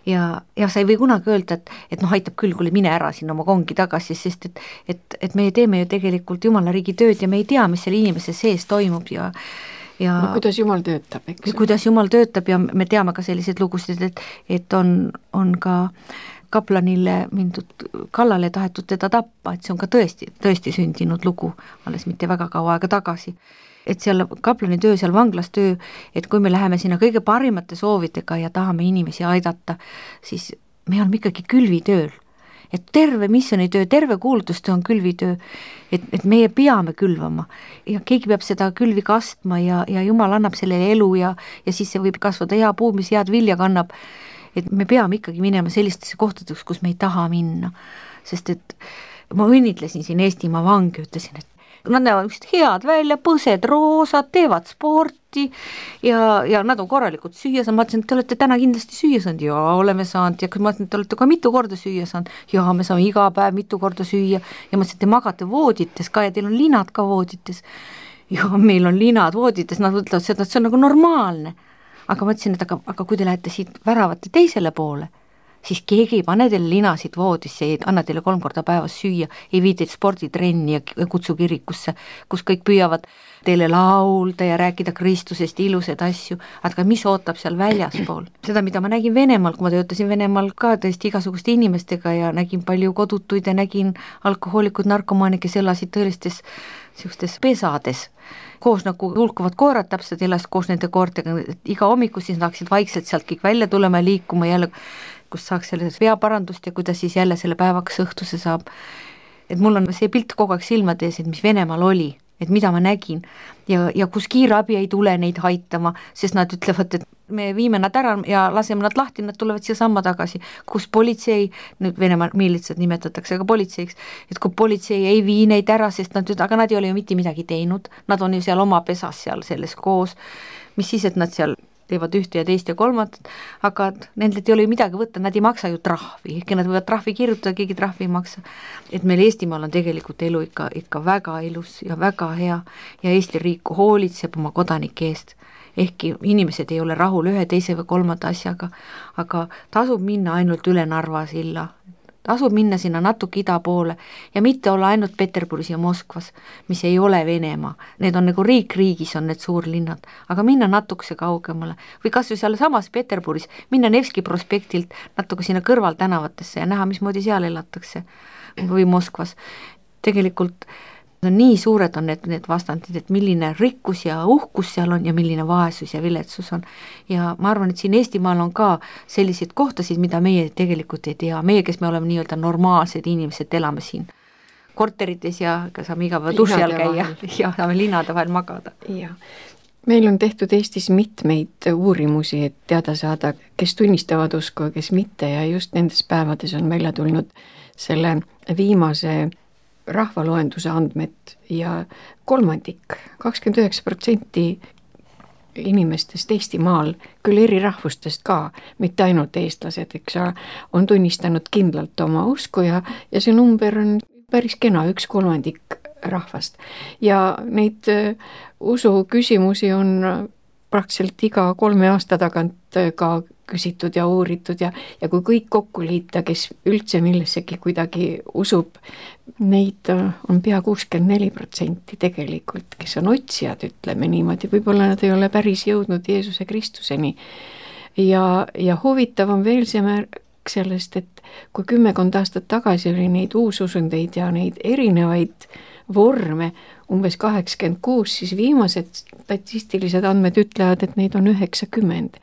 ja, ja sa ei või kunagi öelda, et, et noh, aitab küll, kuule mine ära sinna oma kongi tagasi, sest et, et, et me teeme ju tegelikult Jumala riigi tööd ja me ei tea, mis selle inimese sees toimub ja ja no, kuidas Jumal töötab, eks? Kuidas Jumal töötab ja me teame ka selliseid lugusid, et, et on, on ka kaplanile mindud kallale tahetud teda tappa, et see on ka tõesti, tõesti sündinud lugu, alles mitte väga kaua aega tagasi. Et seal kaplani töö, seal vanglas töö, et kui me läheme sinna kõige parimate soovidega ja tahame inimesi aidata, siis me oleme ikkagi külvitööl. Et terve missionitöö, terve kuulutustöö on külvitöö, et, et meie peame külvama ja keegi peab seda külvi kastma ja, ja Jumal annab sellele elu ja, ja siis see võib kasvada hea puu, mis head vilja kannab. Et me peame ikkagi minema sellistesse kohtadeks, kus me ei taha minna, sest et ma õnnitlesin siin Eestimaa vangi, ütlesin, et nad näevad head välja, põsed, roosad, teevad sporti ja, ja nad on korralikult süüa saanud, ma ütlesin, et te olete täna kindlasti süüa saanud, jaa, oleme saanud ja ma ütlesin, et te olete ka mitu korda süüa saanud, jaa, me saame iga päev mitu korda süüa ja ma ütlesin, et te magate voodites ka ja teil on linad ka voodites, jaa, meil on linad voodites, nad ütlevad seda, et see on nagu normaalne. Aga ma ütlesin, et aga, aga kui te lähete siit väravate teisele poole, siis keegi ei pane teile linasid voodisse, ei anna teile kolm korda päevas süüa, ei vii teid sporditrenni ja kutsu kirikusse, kus kõik püüavad teile laulda ja rääkida Kristusest ilusaid asju, aga mis ootab seal väljaspool? Seda, mida ma nägin Venemaal, kui ma töötasin Venemaal ka tõesti igasuguste inimestega ja nägin palju kodutuid ja nägin alkohoolikud, narkomaani, kes elasid tõelistes sellistes pesades, koos nagu hulkuvad koerad täpselt elas koos nende koortega, iga hommiku siis saaksid vaikselt sealt kõik välja tulema ja liikuma jälle, kus saaks selles veaparandust ja kuidas siis jälle selle päevaks õhtuse saab. Et mul on see pilt kogu aeg silmade ees, et mis Venemaal oli, et mida ma nägin ja, ja kus kiirabi ei tule neid haitama, sest nad ütlevad, et me viime nad ära ja laseme nad lahti, nad tulevad siia samma tagasi, kus politsei, nüüd Venemaa miilitsad nimetatakse ka politseiks, et kui politsei ei vii neid ära, sest nad, aga nad ei ole ju mitte midagi teinud, nad on ju seal oma pesas seal selles koos, mis siis, et nad seal teevad ühte ja teist ja kolmandat, aga nendelt ei ole ju midagi võtta, nad ei maksa ju trahvi, ehkki nad võivad trahvi kirjutada, keegi trahvi ei maksa. Et meil Eestimaal on tegelikult elu ikka, ikka väga ilus ja väga hea ja Eesti riik hoolitseb oma kodanike eest, ehkki inimesed ei ole rahul ühe, teise või kolmanda asjaga, aga tasub minna ainult üle Narva silla, tasub minna sinna natuke ida poole ja mitte olla ainult Peterburis ja Moskvas, mis ei ole Venemaa. Need on nagu riik riigis on need suurlinnad, aga minna natukese kaugemale või kas või seal samas Peterburis, minna Nevski prospektilt natuke sinna kõrval tänavatesse ja näha, mismoodi seal elatakse või Moskvas. Tegelikult on nii suured on need, need vastandid, et milline rikkus ja uhkus seal on ja milline vaesus ja viletsus on. Ja ma arvan, et siin Eestimaal on ka selliseid kohtasid, mida meie tegelikult ei tea. Meie, kes me oleme nii-öelda normaalsed inimesed, elame siin korterites ja saame iga päeva duši all käia ja saame linnade vahel magada. Ja. Meil on tehtud Eestis mitmeid uurimusi, et teada saada, kes tunnistavad usku ja kes mitte ja just nendes päevades on välja tulnud selle viimase rahvaloenduse andmed ja kolmandik, kakskümmend üheksa protsenti inimestest Eestimaal, küll eri rahvustest ka, mitte ainult eestlased, eks ole, on tunnistanud kindlalt oma usku ja, ja see number on päris kena, üks kolmandik rahvast. Ja neid usu küsimusi on praktiliselt iga kolme aasta tagant ka küsitud ja uuritud ja, ja kui kõik kokku liita, kes üldse millessegi kuidagi usub, neid on pea kuuskümmend neli protsenti tegelikult, kes on otsijad, ütleme niimoodi, võib-olla nad ei ole päris jõudnud Jeesuse Kristuseni. Ja, ja huvitav on veel see märk sellest, et kui kümmekond aastat tagasi oli neid uususundeid ja neid erinevaid vorme umbes kaheksakümmend kuus, siis viimased statistilised andmed ütlevad, et neid on üheksakümmend.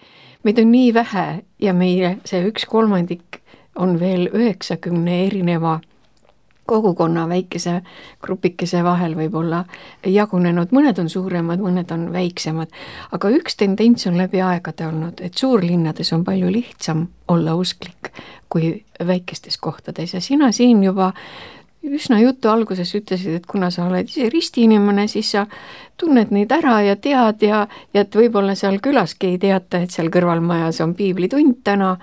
Meid on nii vähe ja meie see üks kolmandik on veel üheksakümne erineva kogukonna väikese grupikese vahel võib-olla jagunenud, mõned on suuremad, mõned on väiksemad, aga üks tendents on läbi aegade olnud, et suurlinnades on palju lihtsam olla usklik kui väikestes kohtades ja sina siin juba üsna jutu alguses ütlesid, et kuna sa oled ise ristiinimene, siis sa tunned neid ära ja tead ja, ja et võib-olla seal külaski ei teata, et seal kõrvalmajas on piiblitund täna,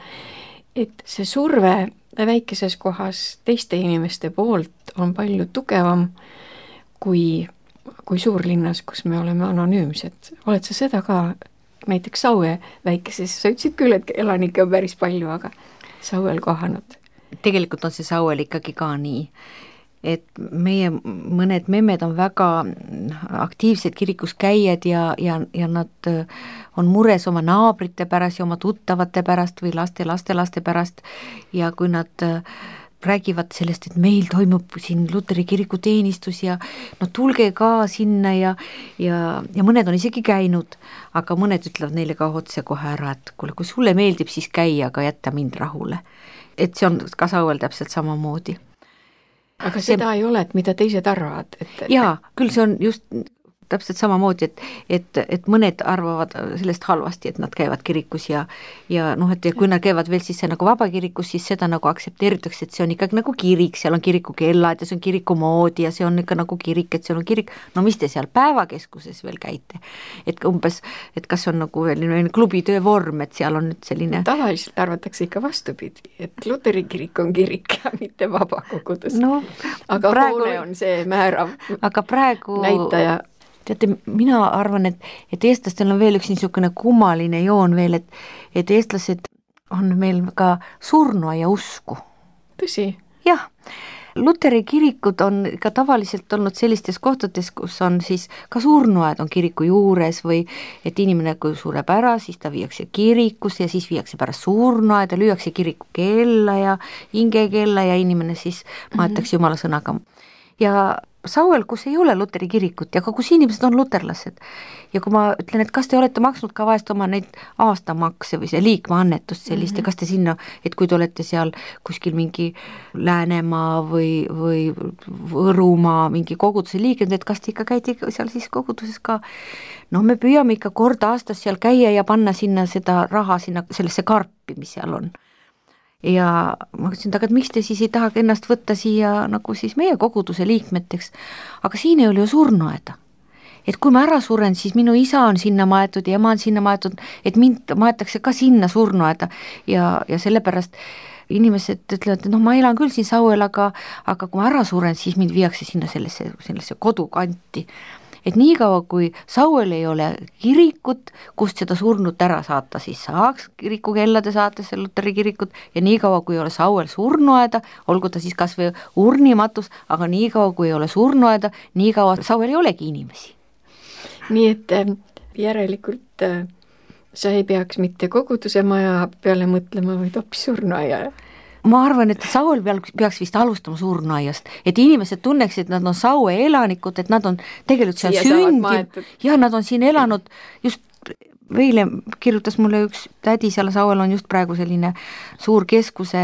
et see surve väikeses kohas teiste inimeste poolt on palju tugevam kui, kui suurlinnas, kus me oleme anonüümsed. Oled sa seda ka näiteks Saue väikeses, sa ütlesid küll, et elanikke on päris palju, aga Sauel kohanud? Tegelikult on see Sauel ikkagi ka nii, et meie mõned memmed on väga aktiivsed kirikus käijad ja, ja, ja nad on mures oma naabrite pärast ja oma tuttavate pärast või laste, laste, laste pärast ja kui nad räägivad sellest, et meil toimub siin Luteri kiriku teenistus ja no tulge ka sinna ja, ja, ja mõned on isegi käinud, aga mõned ütlevad neile ka otse kohe ära, et kuule, kui sulle meeldib, siis käia, aga jätta mind rahule. Et see on ka Sauel täpselt samamoodi. Aga seda see... ei ole, et mida teised arvavad? Et... Jaa, küll see on just täpselt samamoodi, et, et, et mõned arvavad sellest halvasti, et nad käivad kirikus ja, ja noh, et ja kui nad käivad veel siis nagu vabakirikus, siis seda nagu aktsepteeritakse, et see on ikkagi nagu kirik, seal on kirikukellad ja see on kiriku moodi ja see on ikka nagu kirik, et seal on kirik, no mis te seal päevakeskuses veel käite? Et umbes, et kas on nagu veel klubitöö vorm, et seal on nüüd selline... Tavaliselt arvatakse ikka vastupidi, et Luteri kirik on kirik ja mitte vabakogudus. No, aga praegu... hoone on see määrav aga praegu... näitaja. Teate, mina arvan, et, et eestlastel on veel üks niisugune kummaline joon veel, et, et eestlased on meil ka surnuaia usku. Tõsi? Jah, Luteri kirikud on ka tavaliselt olnud sellistes kohtades, kus on siis ka surnuaed on kiriku juures või et inimene, kui sureb ära, siis ta viiakse kirikusse ja siis viiakse pärast surnuaeda, lüüakse kiriku kella ja hingekella ja inimene siis maetakse mm-hmm. jumala sõnaga. Ja Sauel, kus ei ole Luteri kirikut ja ka kus inimesed on luterlased. Ja kui ma ütlen, et kas te olete maksnud ka vahest oma neid aastamakse või see liikmaannetust sellist mm-hmm. ja kas te sinna, et kui te olete seal kuskil mingi Läänemaa või, või Võrumaa mingi koguduse liikmed, et kas te ikka käite seal siis koguduses ka, no me püüame ikka kord aastas seal käia ja panna sinna seda raha sinna sellesse karpi, mis seal on. Ja ma ütlesin, aga et miks te siis ei taha ennast võtta siia nagu siis meie koguduse liikmeteks, aga siin ei ole ju surnuaeda. Et kui ma ära suren, siis minu isa on sinna maetud ja ema on sinna maetud, et mind maetakse ka sinna surnuaeda ja, ja sellepärast inimesed ütlevad, et noh, ma elan küll siin Sauel, aga, aga kui ma ära suren, siis mind viiakse sinna sellesse, sellesse kodukanti. Et nii kaua, kui Sauel ei ole kirikut, kust seda surnut ära saata, siis saaks kirikukellade saates Luteri kirikut ja nii kaua, kui ei ole Sauel surnuaeda, olgu ta siis kas või urnimatus, aga nii kaua, kui ei ole surnuaeda, nii kaua Sauel ei olegi inimesi. Nii et järelikult sa ei peaks mitte koguduse maja peale mõtlema, vaid hoopis surnuaia. Ma arvan, et Sauel peaks vist alustama surnuaiast, et inimesed tunneksid, et nad on Saue elanikud, et nad on tegelikult seal sündinud ja nad on siin elanud just Veile kirjutas mulle üks tädi, seal Sauel on just praegu selline suur keskuse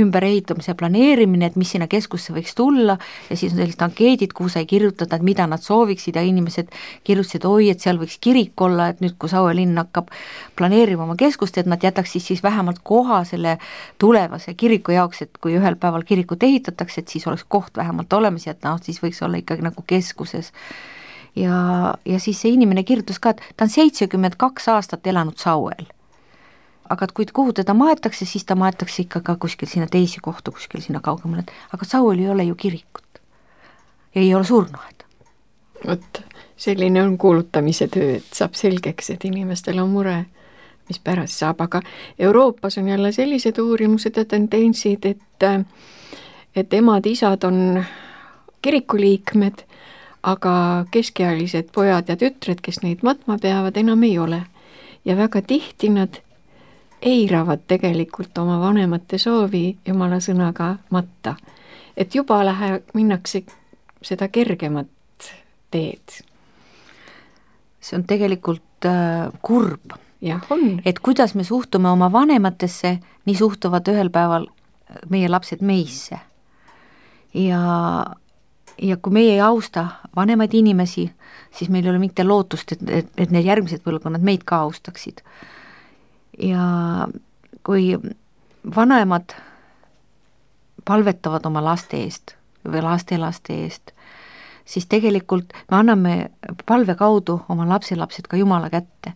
ümberehitamise planeerimine, et mis sinna keskusse võiks tulla ja siis on sellised ankeedid, kuhu sai kirjutada, et mida nad sooviksid ja inimesed kirjutasid, oi, et seal võiks kirik olla, et nüüd, kui Saue linn hakkab planeerima oma keskust, et nad jätaks siis, siis vähemalt koha selle tulevase kiriku jaoks, et kui ühel päeval kirikut ehitatakse, et siis oleks koht vähemalt olemas ja et noh, siis võiks olla ikkagi nagu keskuses. Ja, ja siis see inimene kirjutas ka, et ta on seitsekümmend kaks aastat elanud Sauel. Aga kui kuhu teda maetakse, siis ta maetakse ikka ka kuskil sinna teisi kohta, kuskil sinna kaugemale. Aga Sauel ei ole ju kirikut. Ja ei ole surnuaed. Vot, selline on kuulutamise töö, et saab selgeks, et inimestel on mure, mis pärast saab. Aga Euroopas on jälle sellised uurimused ja tendentsid, et, et emad-isad on kirikuliikmed, aga keskealised pojad ja tütred, kes neid matma peavad, enam ei ole. Ja väga tihti nad eiravad tegelikult oma vanemate soovi jumala sõnaga matta. Et juba lähe, minnakse seda kergemat teed. See on tegelikult äh, kurb. Jah, on. Et kuidas me suhtume oma vanematesse, nii suhtuvad ühel päeval meie lapsed meisse. Ja, ja kui meie ei austa vanemaid inimesi, siis meil ei ole mitte lootust, et, et, et need järgmised põlvkonnad meid ka austaksid. Ja kui vanemad palvetavad oma laste eest või laste-laste eest, siis tegelikult me anname palve kaudu oma lapselapsed ka Jumala kätte.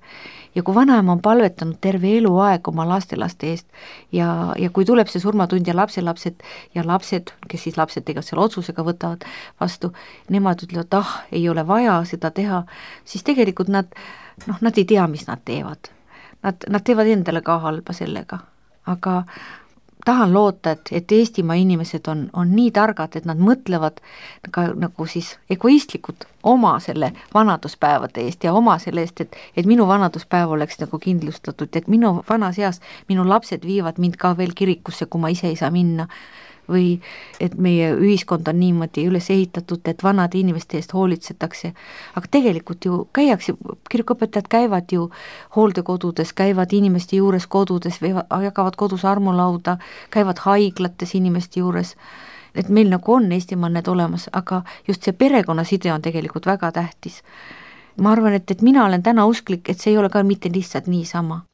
Ja kui vanaema on palvetanud terve eluaeg oma lastelaste eest ja, ja kui tuleb see surmatund ja lapselapsed ja lapsed, kes siis lapsed tegelikult selle otsusega võtavad vastu, nemad ütlevad, ah, ei ole vaja seda teha, siis tegelikult nad, noh, nad ei tea, mis nad teevad. Nad, nad teevad endale ka halba sellega, aga tahan loota, et, et Eestimaa inimesed on, on nii targad, et nad mõtlevad ka nagu siis egoistlikud oma selle vanaduspäevade eest ja oma selle eest, et, et minu vanaduspäev oleks nagu kindlustatud, et minu vanas eas minu lapsed viivad mind ka veel kirikusse, kui ma ise ei saa minna. Või et meie ühiskond on niimoodi üles ehitatud, et vanade inimeste eest hoolitsetakse. Aga tegelikult ju käiakse, kirikuõpetajad käivad ju hooldekodudes, käivad inimeste juures kodudes, jagavad kodus armulauda, käivad haiglates inimeste juures. Et meil nagu on Eestimaal need olemas, aga just see perekonnaside on tegelikult väga tähtis. Ma arvan, et, et mina olen täna usklik, et see ei ole ka mitte lihtsalt niisama.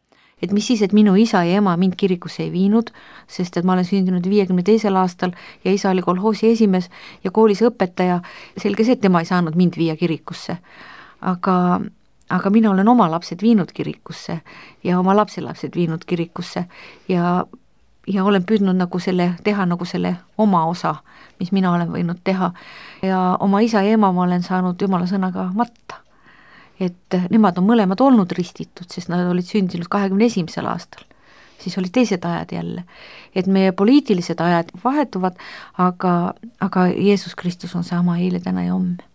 Et mis siis, et minu isa ja ema mind kirikusse ei viinud, sest et ma olen sündinud viiekümne teisel aastal ja isa oli kolhoosi esimees ja koolis õpetaja, selge see, et tema ei saanud mind viia kirikusse. Aga, aga mina olen oma lapsed viinud kirikusse ja oma lapselapsed viinud kirikusse ja, ja olen püüdnud nagu selle, teha nagu selle oma osa, mis mina olen võinud teha. Ja oma isa ja ema ma olen saanud Jumala sõnaga matta. Et nemad on mõlemad olnud ristitud, sest nad olid sündinud kahekümne esimesel aastal. Siis oli teised ajad jälle. Et meie poliitilised ajad vahetuvad, aga, aga Jeesus Kristus on sama eile, täna ja homme.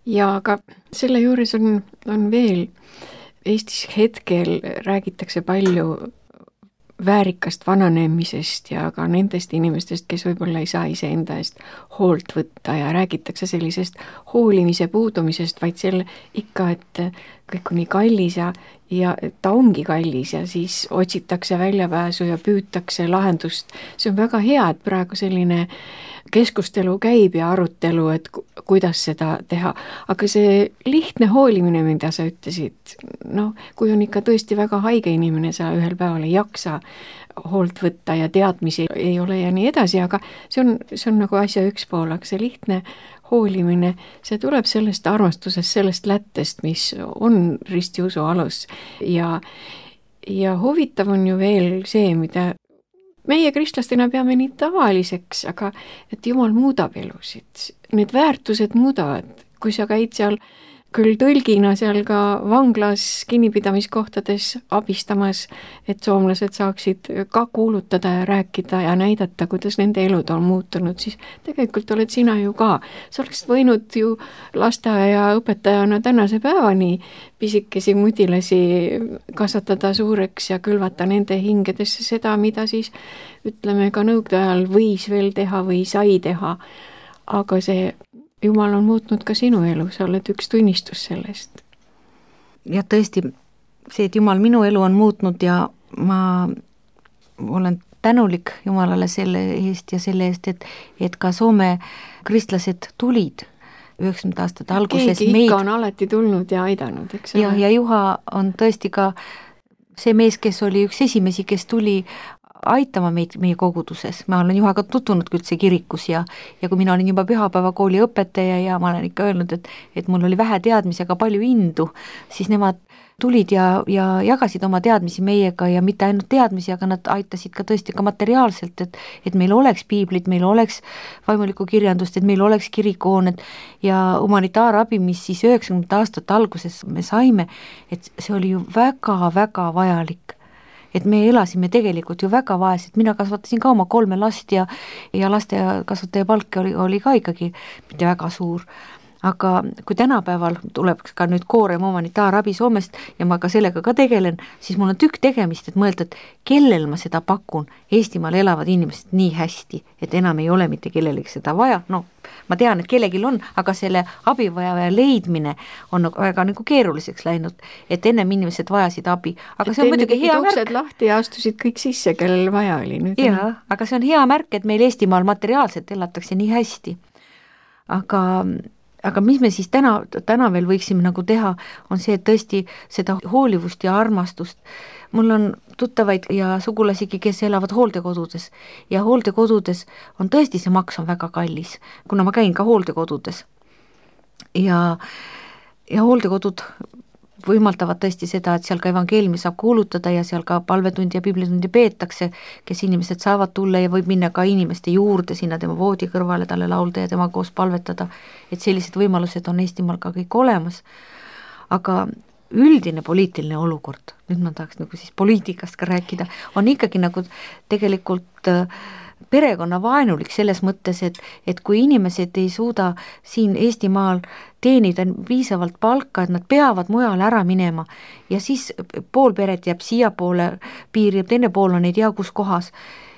Ja aga selle juures on, on veel, Eestis hetkel räägitakse palju väärikast vananemisest ja ka nendest inimestest, kes võib-olla ei saa ise enda eest hoolt võtta ja räägitakse sellisest hoolimise puudumisest, vaid selle ikka, et kõik on nii kallis ja, ja ta ongi kallis ja siis otsitakse väljapääsu ja püütakse lahendust. See on väga hea, et praegu selline keskustelu käib ja arutelu, et kuidas seda teha. Aga see lihtne hoolimine, mida sa ütlesid, no kui on ikka tõesti väga haige inimene, sa ühel päeval ei jaksa hoolt võtta ja teadmisi ei ole ja nii edasi, aga see on, see on nagu asja üks pool, aga see lihtne hoolimine, see tuleb sellest armastusest, sellest lättest, mis on ristiusu alus ja, ja huvitav on ju veel see, mida meie kristlastena peame nii tavaliseks, aga et Jumal muudab elusid. Need väärtused muudavad, kui sa käid seal küll tõlgina seal ka vanglas kinnipidamiskohtades abistamas, et soomlased saaksid ka kuulutada ja rääkida ja näidata, kuidas nende elud on muutunud, siis tegelikult oled sina ju ka. Sa oleksid võinud ju lasteaia õpetajana tänase päevani pisikesi mudilasi kasvatada suureks ja külvata nende hingedesse seda, mida siis ütleme ka nõukogude ajal võis veel teha või sai teha. Aga see Jumal on muutnud ka sinu elu, sa oled üks tunnistus sellest. Ja tõesti, see, et Jumal minu elu on muutnud ja ma olen tänulik Jumalale selle eest ja selle eest, et, et ka Soome kristlased tulid üheksakümnendate aastate alguses. Keegi meid... ikka on alati tulnud ja aidanud, eks ja, ja Juha on tõesti ka see mees, kes oli üks esimesi, kes tuli aitama meid meie koguduses. Ma olen Juhaga tutvunud üldse kirikus ja, ja kui mina olin juba pühapäevakooli õpetaja ja ma olen ikka öelnud, et, et mul oli vähe teadmisi, aga palju indu, siis nemad tulid ja, ja jagasid oma teadmisi meiega ja mitte ainult teadmisi, aga nad aitasid ka tõesti ka materiaalselt, et, et meil oleks piiblid, meil oleks vaimulikku kirjandust, et meil oleks kirikuhooned ja humanitaarabi, mis siis üheksakümnendate aastate alguses me saime, et see oli ju väga-väga vajalik. Et me elasime tegelikult ju väga vaesed, mina kasvatasin ka oma kolme last ja, ja laste kasvataja palk oli, oli ka ikkagi mitte väga suur. aga kui tänapäeval tuleb ka nüüd koorem humanitaarabi Soomest ja ma ka sellega ka tegelen, siis mul on tükk tegemist, et mõelda, et kellel ma seda pakun. Eestimaal elavad inimesed nii hästi, et enam ei ole mitte kellelegi seda vaja, no ma tean, et kellelgi on, aga selle abivajaja leidmine on väga nagu keeruliseks läinud, et ennem inimesed vajasid abi, aga see on muidugi hea märk. Uksed lahti ja astusid kõik sisse, kellel vaja oli. Nüüd jaa, aga see on hea märk, et meil Eestimaal materiaalselt elatakse nii hästi. Aga, aga mis me siis täna, täna veel võiksime nagu teha, on see, et tõesti seda hoolivust ja armastust. Mul on tuttavaid ja sugulasigi, kes elavad hooldekodudes ja hooldekodudes on tõesti, see maks on väga kallis, kuna ma käin ka hooldekodudes ja, ja hooldekodud võimaldavad tõesti seda, et seal ka evangeeliumi saab kuulutada ja seal ka palvetundi ja piiblitundi peetakse, kes inimesed saavad tulla ja võib minna ka inimeste juurde sinna tema voodi kõrvale, talle laulda ja tema koos palvetada, et sellised võimalused on Eestimaal ka kõik olemas, aga üldine poliitiline olukord, nüüd ma tahaks nagu siis poliitikast ka rääkida, on ikkagi nagu tegelikult perekonna vaenulik selles mõttes, et, et kui inimesed ei suuda siin Eestimaal teenida piisavalt palka, et nad peavad mujale ära minema ja siis pool peret jääb siia poole piiri ja teine pool on ei tea kus kohas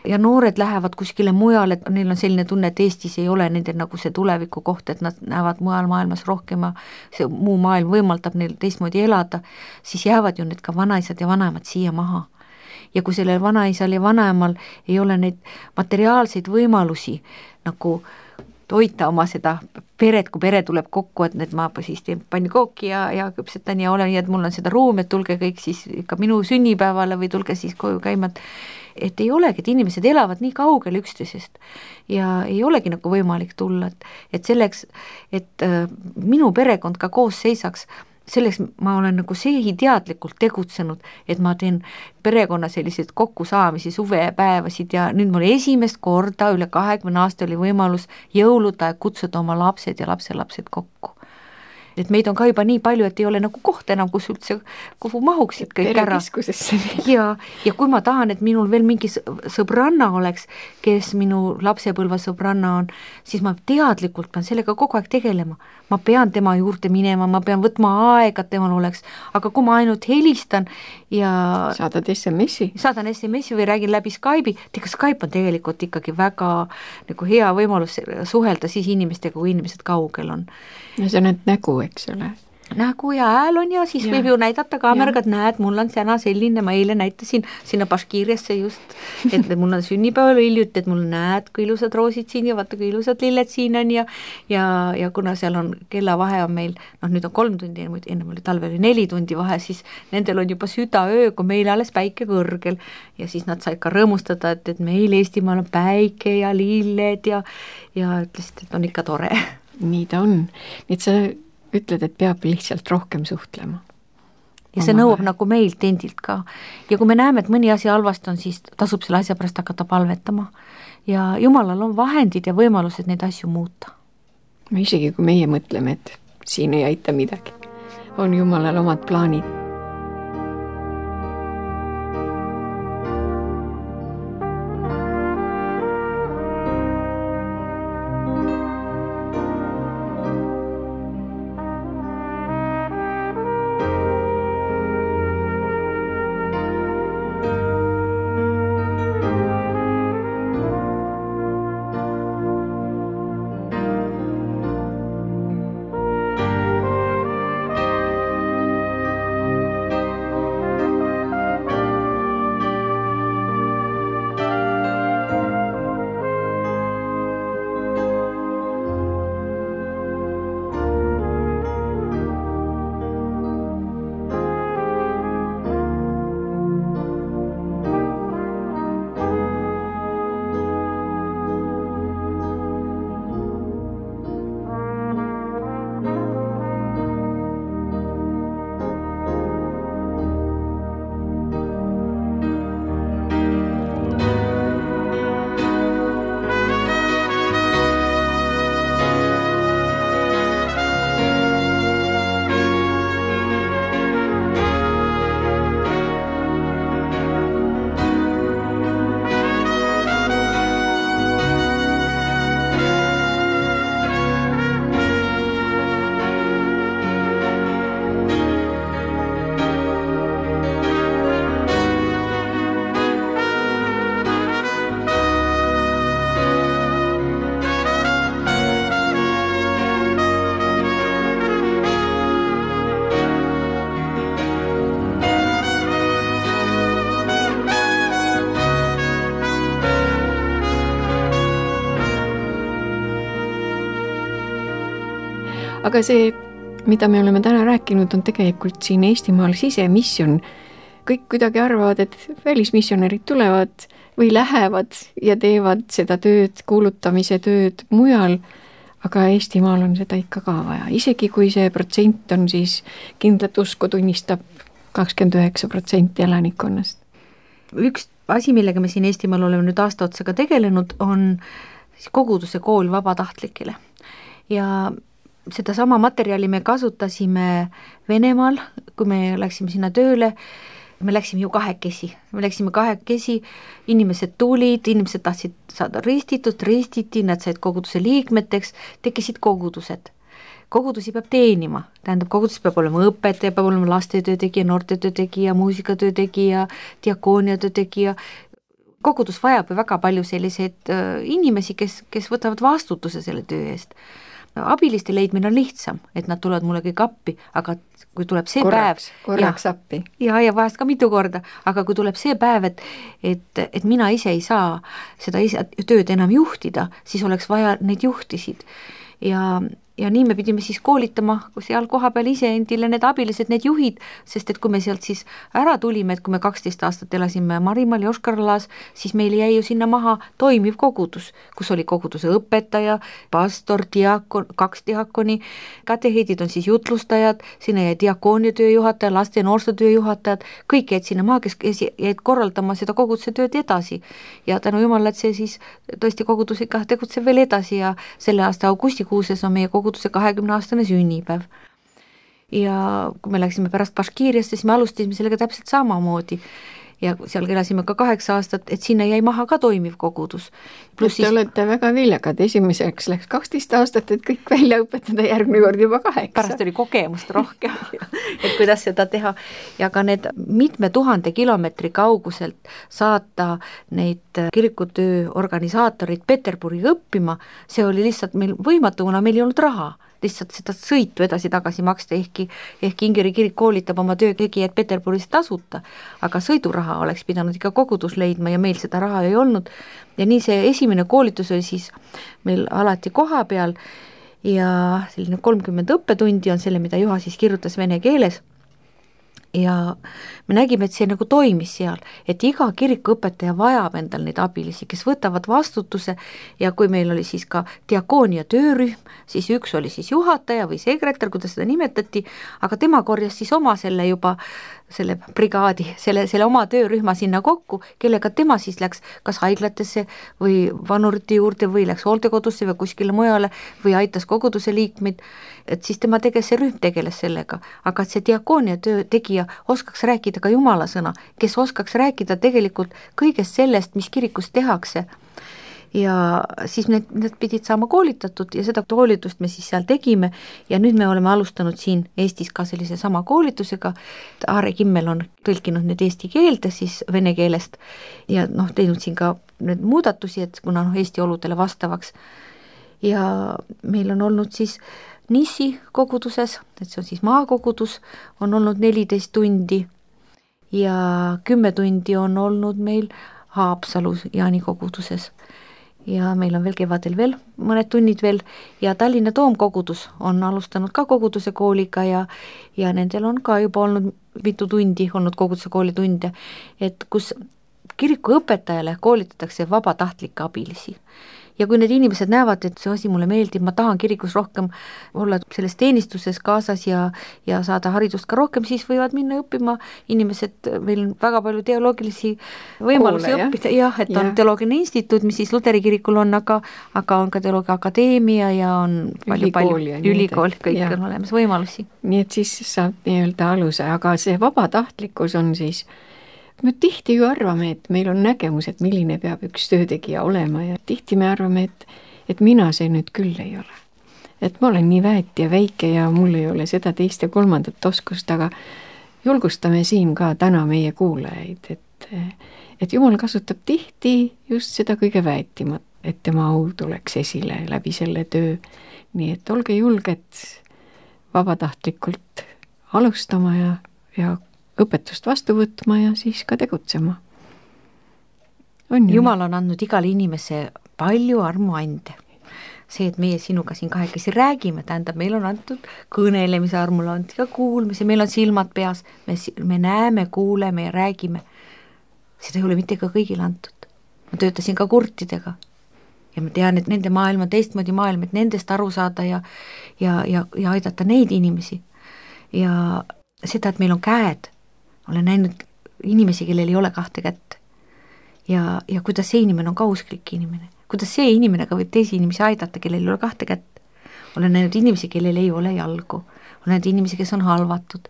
ja noored lähevad kuskile mujale, et neil on selline tunne, et Eestis ei ole nendel nagu see tuleviku koht, et nad näevad mujal maailmas rohkem ja see muu maailm võimaldab neil teistmoodi elada, siis jäävad ju need ka vanaisad ja vanaemad siia maha. Ja kui sellel vanaisal ja vanaemal ei ole neid materiaalseid võimalusi nagu toita oma seda peret, kui pere tuleb kokku, et need ma siis teen pannikooki ja, ja küpsetan ja olen, et mul on seda ruumi, et tulge kõik siis ikka minu sünnipäevale või tulge siis koju käima, et ei olegi, et inimesed elavad nii kaugel üksteisest ja ei olegi nagu võimalik tulla, et, et selleks, et äh, minu perekond ka koos seisaks, selleks ma olen nagu sehi teadlikult tegutsenud, et ma teen perekonna selliseid kokkusaamisi, suvepäevasid ja nüüd mul esimest korda üle kahekümne aasta oli võimalus jõuluda ja kutsuda oma lapsed ja lapselapsed kokku. Et meid on ka juba nii palju, et ei ole nagu koht enam, kus üldse, kuhu mahuksid kõik ära. Ja, ja kui ma tahan, et minul veel mingi sõbranna oleks, kes minu lapsepõlva sõbranna on, siis ma teadlikult pean sellega kogu aeg tegelema. Ma pean tema juurde minema, ma pean võtma aega, et temal oleks, aga kui ma ainult helistan ja saadad S M S-i, saadan S M S-i või räägin läbi Skype'i, tega Skype on tegelikult ikkagi väga nagu hea võimalus suhelda siis inimestega, kui inimesed kaugel on. Ja see on need nägu, eks ole. Nägu ja hääl on ja siis ja. Võib ju näidata kaameraga, et näed, mul on täna selline, ma eile näitasin sinna Baškiiriasse just, et mul on sünnipäeval hiljuti, et mul näed, kui ilusad roosid siin ja vaata, kui ilusad lilled siin on ja, ja, ja kuna seal on kellavahe on meil, noh nüüd on kolm tundi, enne oli talvel neli tundi vahe, siis nendel on juba südaöö, kui meil alles päike kõrgel ja siis nad said ka rõõmustada, et, et meil Eestimaal on päike ja lilled ja, ja ütlesid, et on ikka tore. Nii ta on, nii et sa ütled, et peab lihtsalt rohkem suhtlema. Ja see nõuab nagu meilt endilt ka. Ja kui me näeme, et mõni asi halvasti on, siis tasub selle asja pärast hakata palvetama. Ja Jumalal on vahendid ja võimalused neid asju muuta. Isegi kui meie mõtleme, et siin ei aita midagi, on Jumalal omad plaanid. aga see, mida me oleme täna rääkinud, on tegelikult siin Eestimaal sisemisjon. Kõik kuidagi arvavad, et välismissionärid tulevad või lähevad ja teevad seda tööd, kuulutamise tööd mujal, aga Eestimaal on seda ikka ka vaja. Isegi kui see protsent on siis kindlat usku tunnistab kakskümmend üheksa protsenti elanikkonnast. Üks asi, millega me siin Eestimaal oleme nüüd aasta otsaga tegelenud, on koguduse kool vabatahtlikele. Ja seda sama materjali me kasutasime Venemaal, kui me läksime sinna tööle, me läksime ju kahekesi, me läksime kahekesi, inimesed tulid, inimesed tahtsid saada ristitud, ristiti, nad said koguduse liikmeteks, tekkisid kogudused. Kogudusi peab teenima, tähendab, kogudus peab olema õpetaja, peab olema lastetöö tegija, noortetöö tegija, muusikatöö tegija, diakooniatöö tegija. Kogudus vajab ju väga palju selliseid inimesi, kes, kes võtavad vastutuse selle töö eest. Abiliste leidmine on lihtsam, et nad tulevad mulle kõik appi, aga kui tuleb see korraks, päev korraks ja, appi ja, ja vahest ka mitu korda, aga kui tuleb see päev, et, et, et mina ise ei saa seda ise, tööd enam juhtida, siis oleks vaja neid juhtisid ja ja nii me pidime siis koolitama seal koha peal ise endile need abilised, need juhid, sest et kui me sealt siis ära tulime, et kui me kaksteist aastat elasime Marimaal ja Oskarlaas, siis meil jäi ju sinna maha toimiv kogudus, kus oli koguduse õpetaja, pastor, diakon, kaks diakoni, kateheedid on siis jutlustajad, sinna jäi diakoonia tööjuhataja, laste ja noorsootöö juhatajad, kõik jäid sinna maha, kes, kes jäid korraldama seda koguduse tööd edasi. Ja tänu Jumala, et see siis tõesti kogudus ikka tegutseb veel edasi ja selle aasta augustikuuses on meie kogudus koguduse kahekümne aastane sünnipäev. Ja kui me läksime pärast Baškiiriasse, siis me alustasime sellega täpselt samamoodi. Ja seal elasime ka kaheksa aastat, et sinna jäi maha ka toimiv kogudus. Te siis... olete väga viljakad, esimeseks läks kaksteist aastat, et kõik välja õpetada, järgmine kord juba kaheksa. Pärast oli kogemust rohkem, et kuidas seda teha. Ja ka need mitme tuhande kilomeetri kauguselt saata neid kirikutöö organisaatorid Peterburi õppima, see oli lihtsalt meil võimatu, kuna meil ei olnud raha. Lihtsalt seda sõitu edasi-tagasi maksta, ehkki, ehkki Ingeri kirik koolitab oma töötegijad Peterburis tasuta, aga sõiduraha oleks pidanud ikka kogudus leidma ja meil seda raha ei olnud. Ja nii see esimene koolitus oli siis meil alati koha peal ja selline kolmkümmend õppetundi on selle, mida Juha siis kirjutas vene keeles. Ja me nägime, et see nagu toimis seal, et iga kirikuõpetaja vajab endal neid abilisi, kes võtavad vastutuse ja kui meil oli siis ka diakoonia töörühm, siis üks oli siis juhataja või sekretär, kuidas seda nimetati, aga tema korjas siis oma selle juba selle brigaadi, selle, selle oma töörühma sinna kokku, kellega tema siis läks kas haiglatesse või vanurite juurde või läks hooldekodusse või kuskile mujale või aitas koguduse liikmeid, et siis tema teges, see rühm tegeles sellega, aga et see diakoonia töö tegija oskaks rääkida ka Jumala sõna, kes oskaks rääkida tegelikult kõigest sellest, mis kirikus tehakse. Ja siis need, need pidid saama koolitatud ja seda koolitust me siis seal tegime ja nüüd me oleme alustanud siin Eestis ka sellise sama koolitusega. Aare Kimmel on tõlkinud need eesti keelde siis vene keelest ja noh, teinud siin ka need muudatusi, et kuna noh, Eesti oludele vastavaks. Ja meil on olnud siis Nissi koguduses, et see on siis maakogudus, on olnud neliteist tundi ja kümme tundi on olnud meil Haapsalus Jaani koguduses. Ja meil on veel kevadel veel mõned tunnid veel ja Tallinna Toomkogudus on alustanud ka koguduse kooliga ja, ja nendel on ka juba olnud mitu tundi olnud koguduse kooli tunde, et kus kiriku õpetajale koolitatakse vabatahtlikke abilisi. Ja kui need inimesed näevad, et see asi mulle meeldib, ma tahan kirikus rohkem olla selles teenistuses kaasas ja, ja saada haridust ka rohkem, siis võivad minna õppima inimesed, meil on väga palju teoloogilisi võimalusi Koole, õppida, jah, et ja. On teoloogiline instituut, mis siis Luteri kirikul on, aga, aga on ka teoloogia akadeemia ja on palju, palju ülikool, kõik ja. On olemas võimalusi. Nii et siis saab nii-öelda aluse, aga see vabatahtlikkus on siis me tihti ju arvame, et meil on nägemus, et milline peab üks töötegija olema ja tihti me arvame, et, et mina see nüüd küll ei ole. Et ma olen nii väet ja väike ja mul ei ole seda teist ja kolmandat oskust, aga julgustame siin ka täna meie kuulajaid, et, et Jumal kasutab tihti just seda kõige väetimat, et tema au tuleks esile läbi selle töö. Nii et olge julged vabatahtlikult alustama ja, ja õpetust vastu võtma ja siis ka tegutsema. On Jumal on andnud igale inimese palju armuande. see, et meie sinuga siin kahekesi räägime, tähendab, meil on antud kõnelemise armule, antud ka kuulmise, meil on silmad peas, me, me näeme, kuuleme ja räägime. Seda ei ole mitte ka kõigile antud. Ma töötasin ka kurtidega ja ma tean, et nende maailm on teistmoodi maailm, et nendest aru saada ja, ja, ja, ja aidata neid inimesi. Ja seda, et meil on käed, olen näinud inimesi, kellel ei ole kahte kätt. Ja, ja kuidas see inimene on ka usklik inimene. Kuidas see inimene ka võib teisi inimesi aidata, kellel ei ole kahte kätt. Olen näinud inimesi, kellel ei ole jalgu. Olen näinud inimesi, kes on halvatud.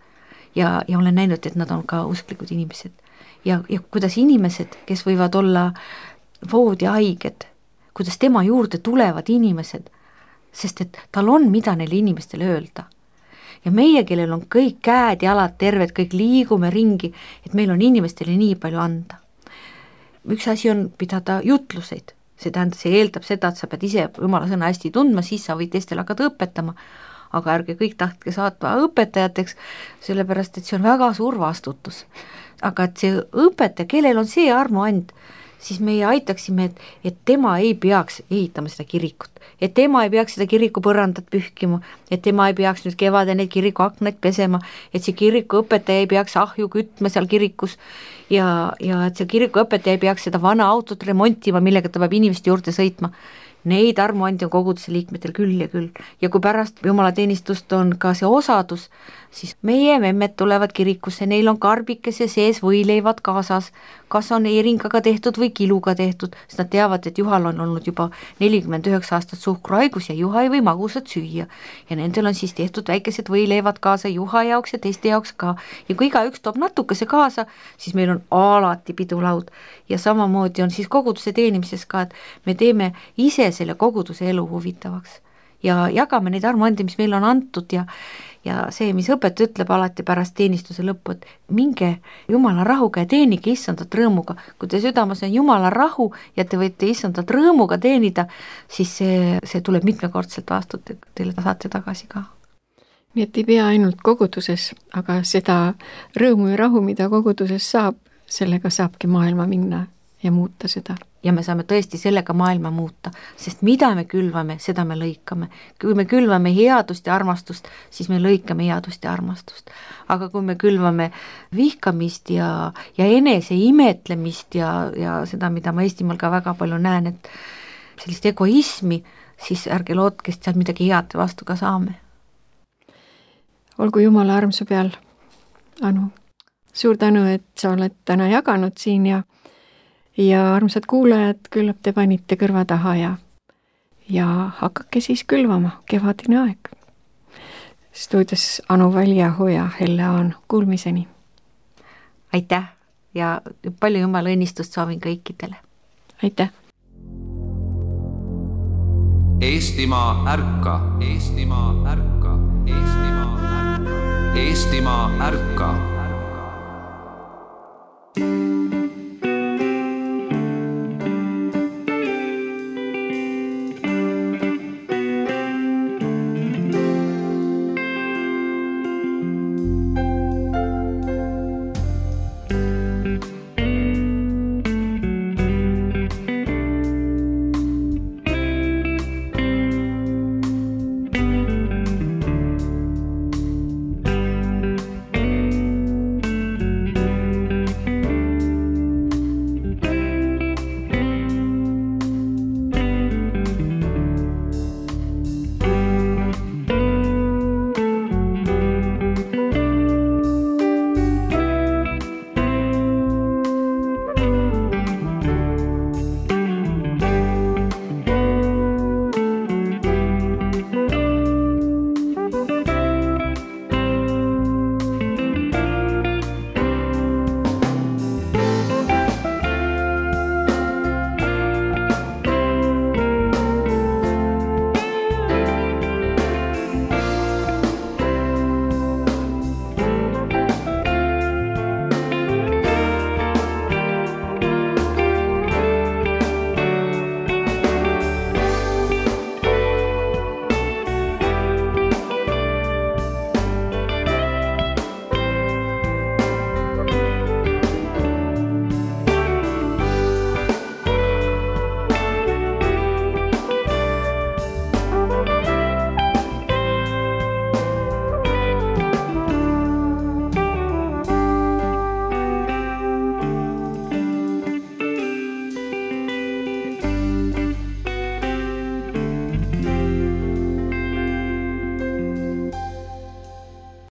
Ja, ja olen näinud, et nad on ka usklikud inimesed. Ja, ja kuidas inimesed, kes võivad olla voodihaiged, kuidas tema juurde tulevad inimesed, sest et tal on mida neile inimestele öelda. Ja meie, kellel on kõik käed, jalad terved, kõik liigume ringi, et meil on inimestele nii palju anda. Üks asi on pidada jutluseid, see tähendab, see eeldab seda, et sa pead ise jumala sõna hästi tundma, siis sa võid teistele hakata õpetama, aga ärge kõik tahtke saatma õpetajateks, sellepärast, et see on väga suur vastutus. Aga et see õpetaja, kellel on see armuand, siis meie aitaksime, et, et tema ei peaks ehitama seda kirikut, et tema ei peaks seda kiriku põrandat pühkima, et tema ei peaks nüüd kevade neid kiriku aknaid pesema, et see kiriku õpetaja ei peaks ahju kütma seal kirikus ja, ja et see kiriku õpetaja ei peaks seda vana autot remontima, millega ta peab inimeste juurde sõitma. Neid armuandi on koguduse liikmetel küll ja küll. Ja kui pärast jumalateenistust on ka see osadus, siis meie memmed tulevad kirikusse, neil on karbikese sees võileivad kaasas, kas on eringaga tehtud või kiluga tehtud, sest nad teavad, et Juhal on olnud juba nelikümmend üheksa aastat suhkraigus ja Juha ei või magusat süüa. Ja nendel on siis tehtud väikesed võileivad kaasa Juha jaoks ja teiste jaoks ka. Ja kui iga üks toob natukese kaasa, siis meil on alati pidulaud. Ja samamoodi on siis koguduse teenimises ka, et me teeme ise selle koguduse elu huvitavaks ja jagame neid armuandi, mis meil on antud ja, ja see, mis õpetaja ütleb alati pärast teenistuse lõppu, et minge Jumala rahuga ja teenige issandat rõõmuga. Kui te südames on Jumala rahu ja te võite issandat rõõmuga teenida, siis see, see tuleb mitmekordselt vastu, teile saate tagasi ka. Nii et ei pea ainult koguduses, aga seda rõõmu ja rahu, mida koguduses saab, sellega saabki maailma minna ja muuta seda. Ja me saame tõesti sellega maailma muuta, sest mida me külvame, seda me lõikame. Kui me külvame headust ja armastust, siis me lõikame headust ja armastust. Aga kui me külvame vihkamist ja, ja enese imetlemist ja, ja seda, mida ma Eestimaal ka väga palju näen, et sellist egoismi, siis ärge lootke, et seal midagi head vastu ka saame. Olgu Jumala armsu peal, Anu. Suur tänu, et sa oled täna jaganud siin ja ja armsad kuulajad, küllap te panite kõrva taha ja, ja hakake siis külvama, kevadine aeg. Stuudios Anu Väljaho ja Helle Aan, kuulmiseni. Aitäh ja palju Jumala õnnistust soovin kõikidele. Aitäh. Eestimaa ärka, Eestimaa ärka, Eestimaa ärka, Eestimaa ärka.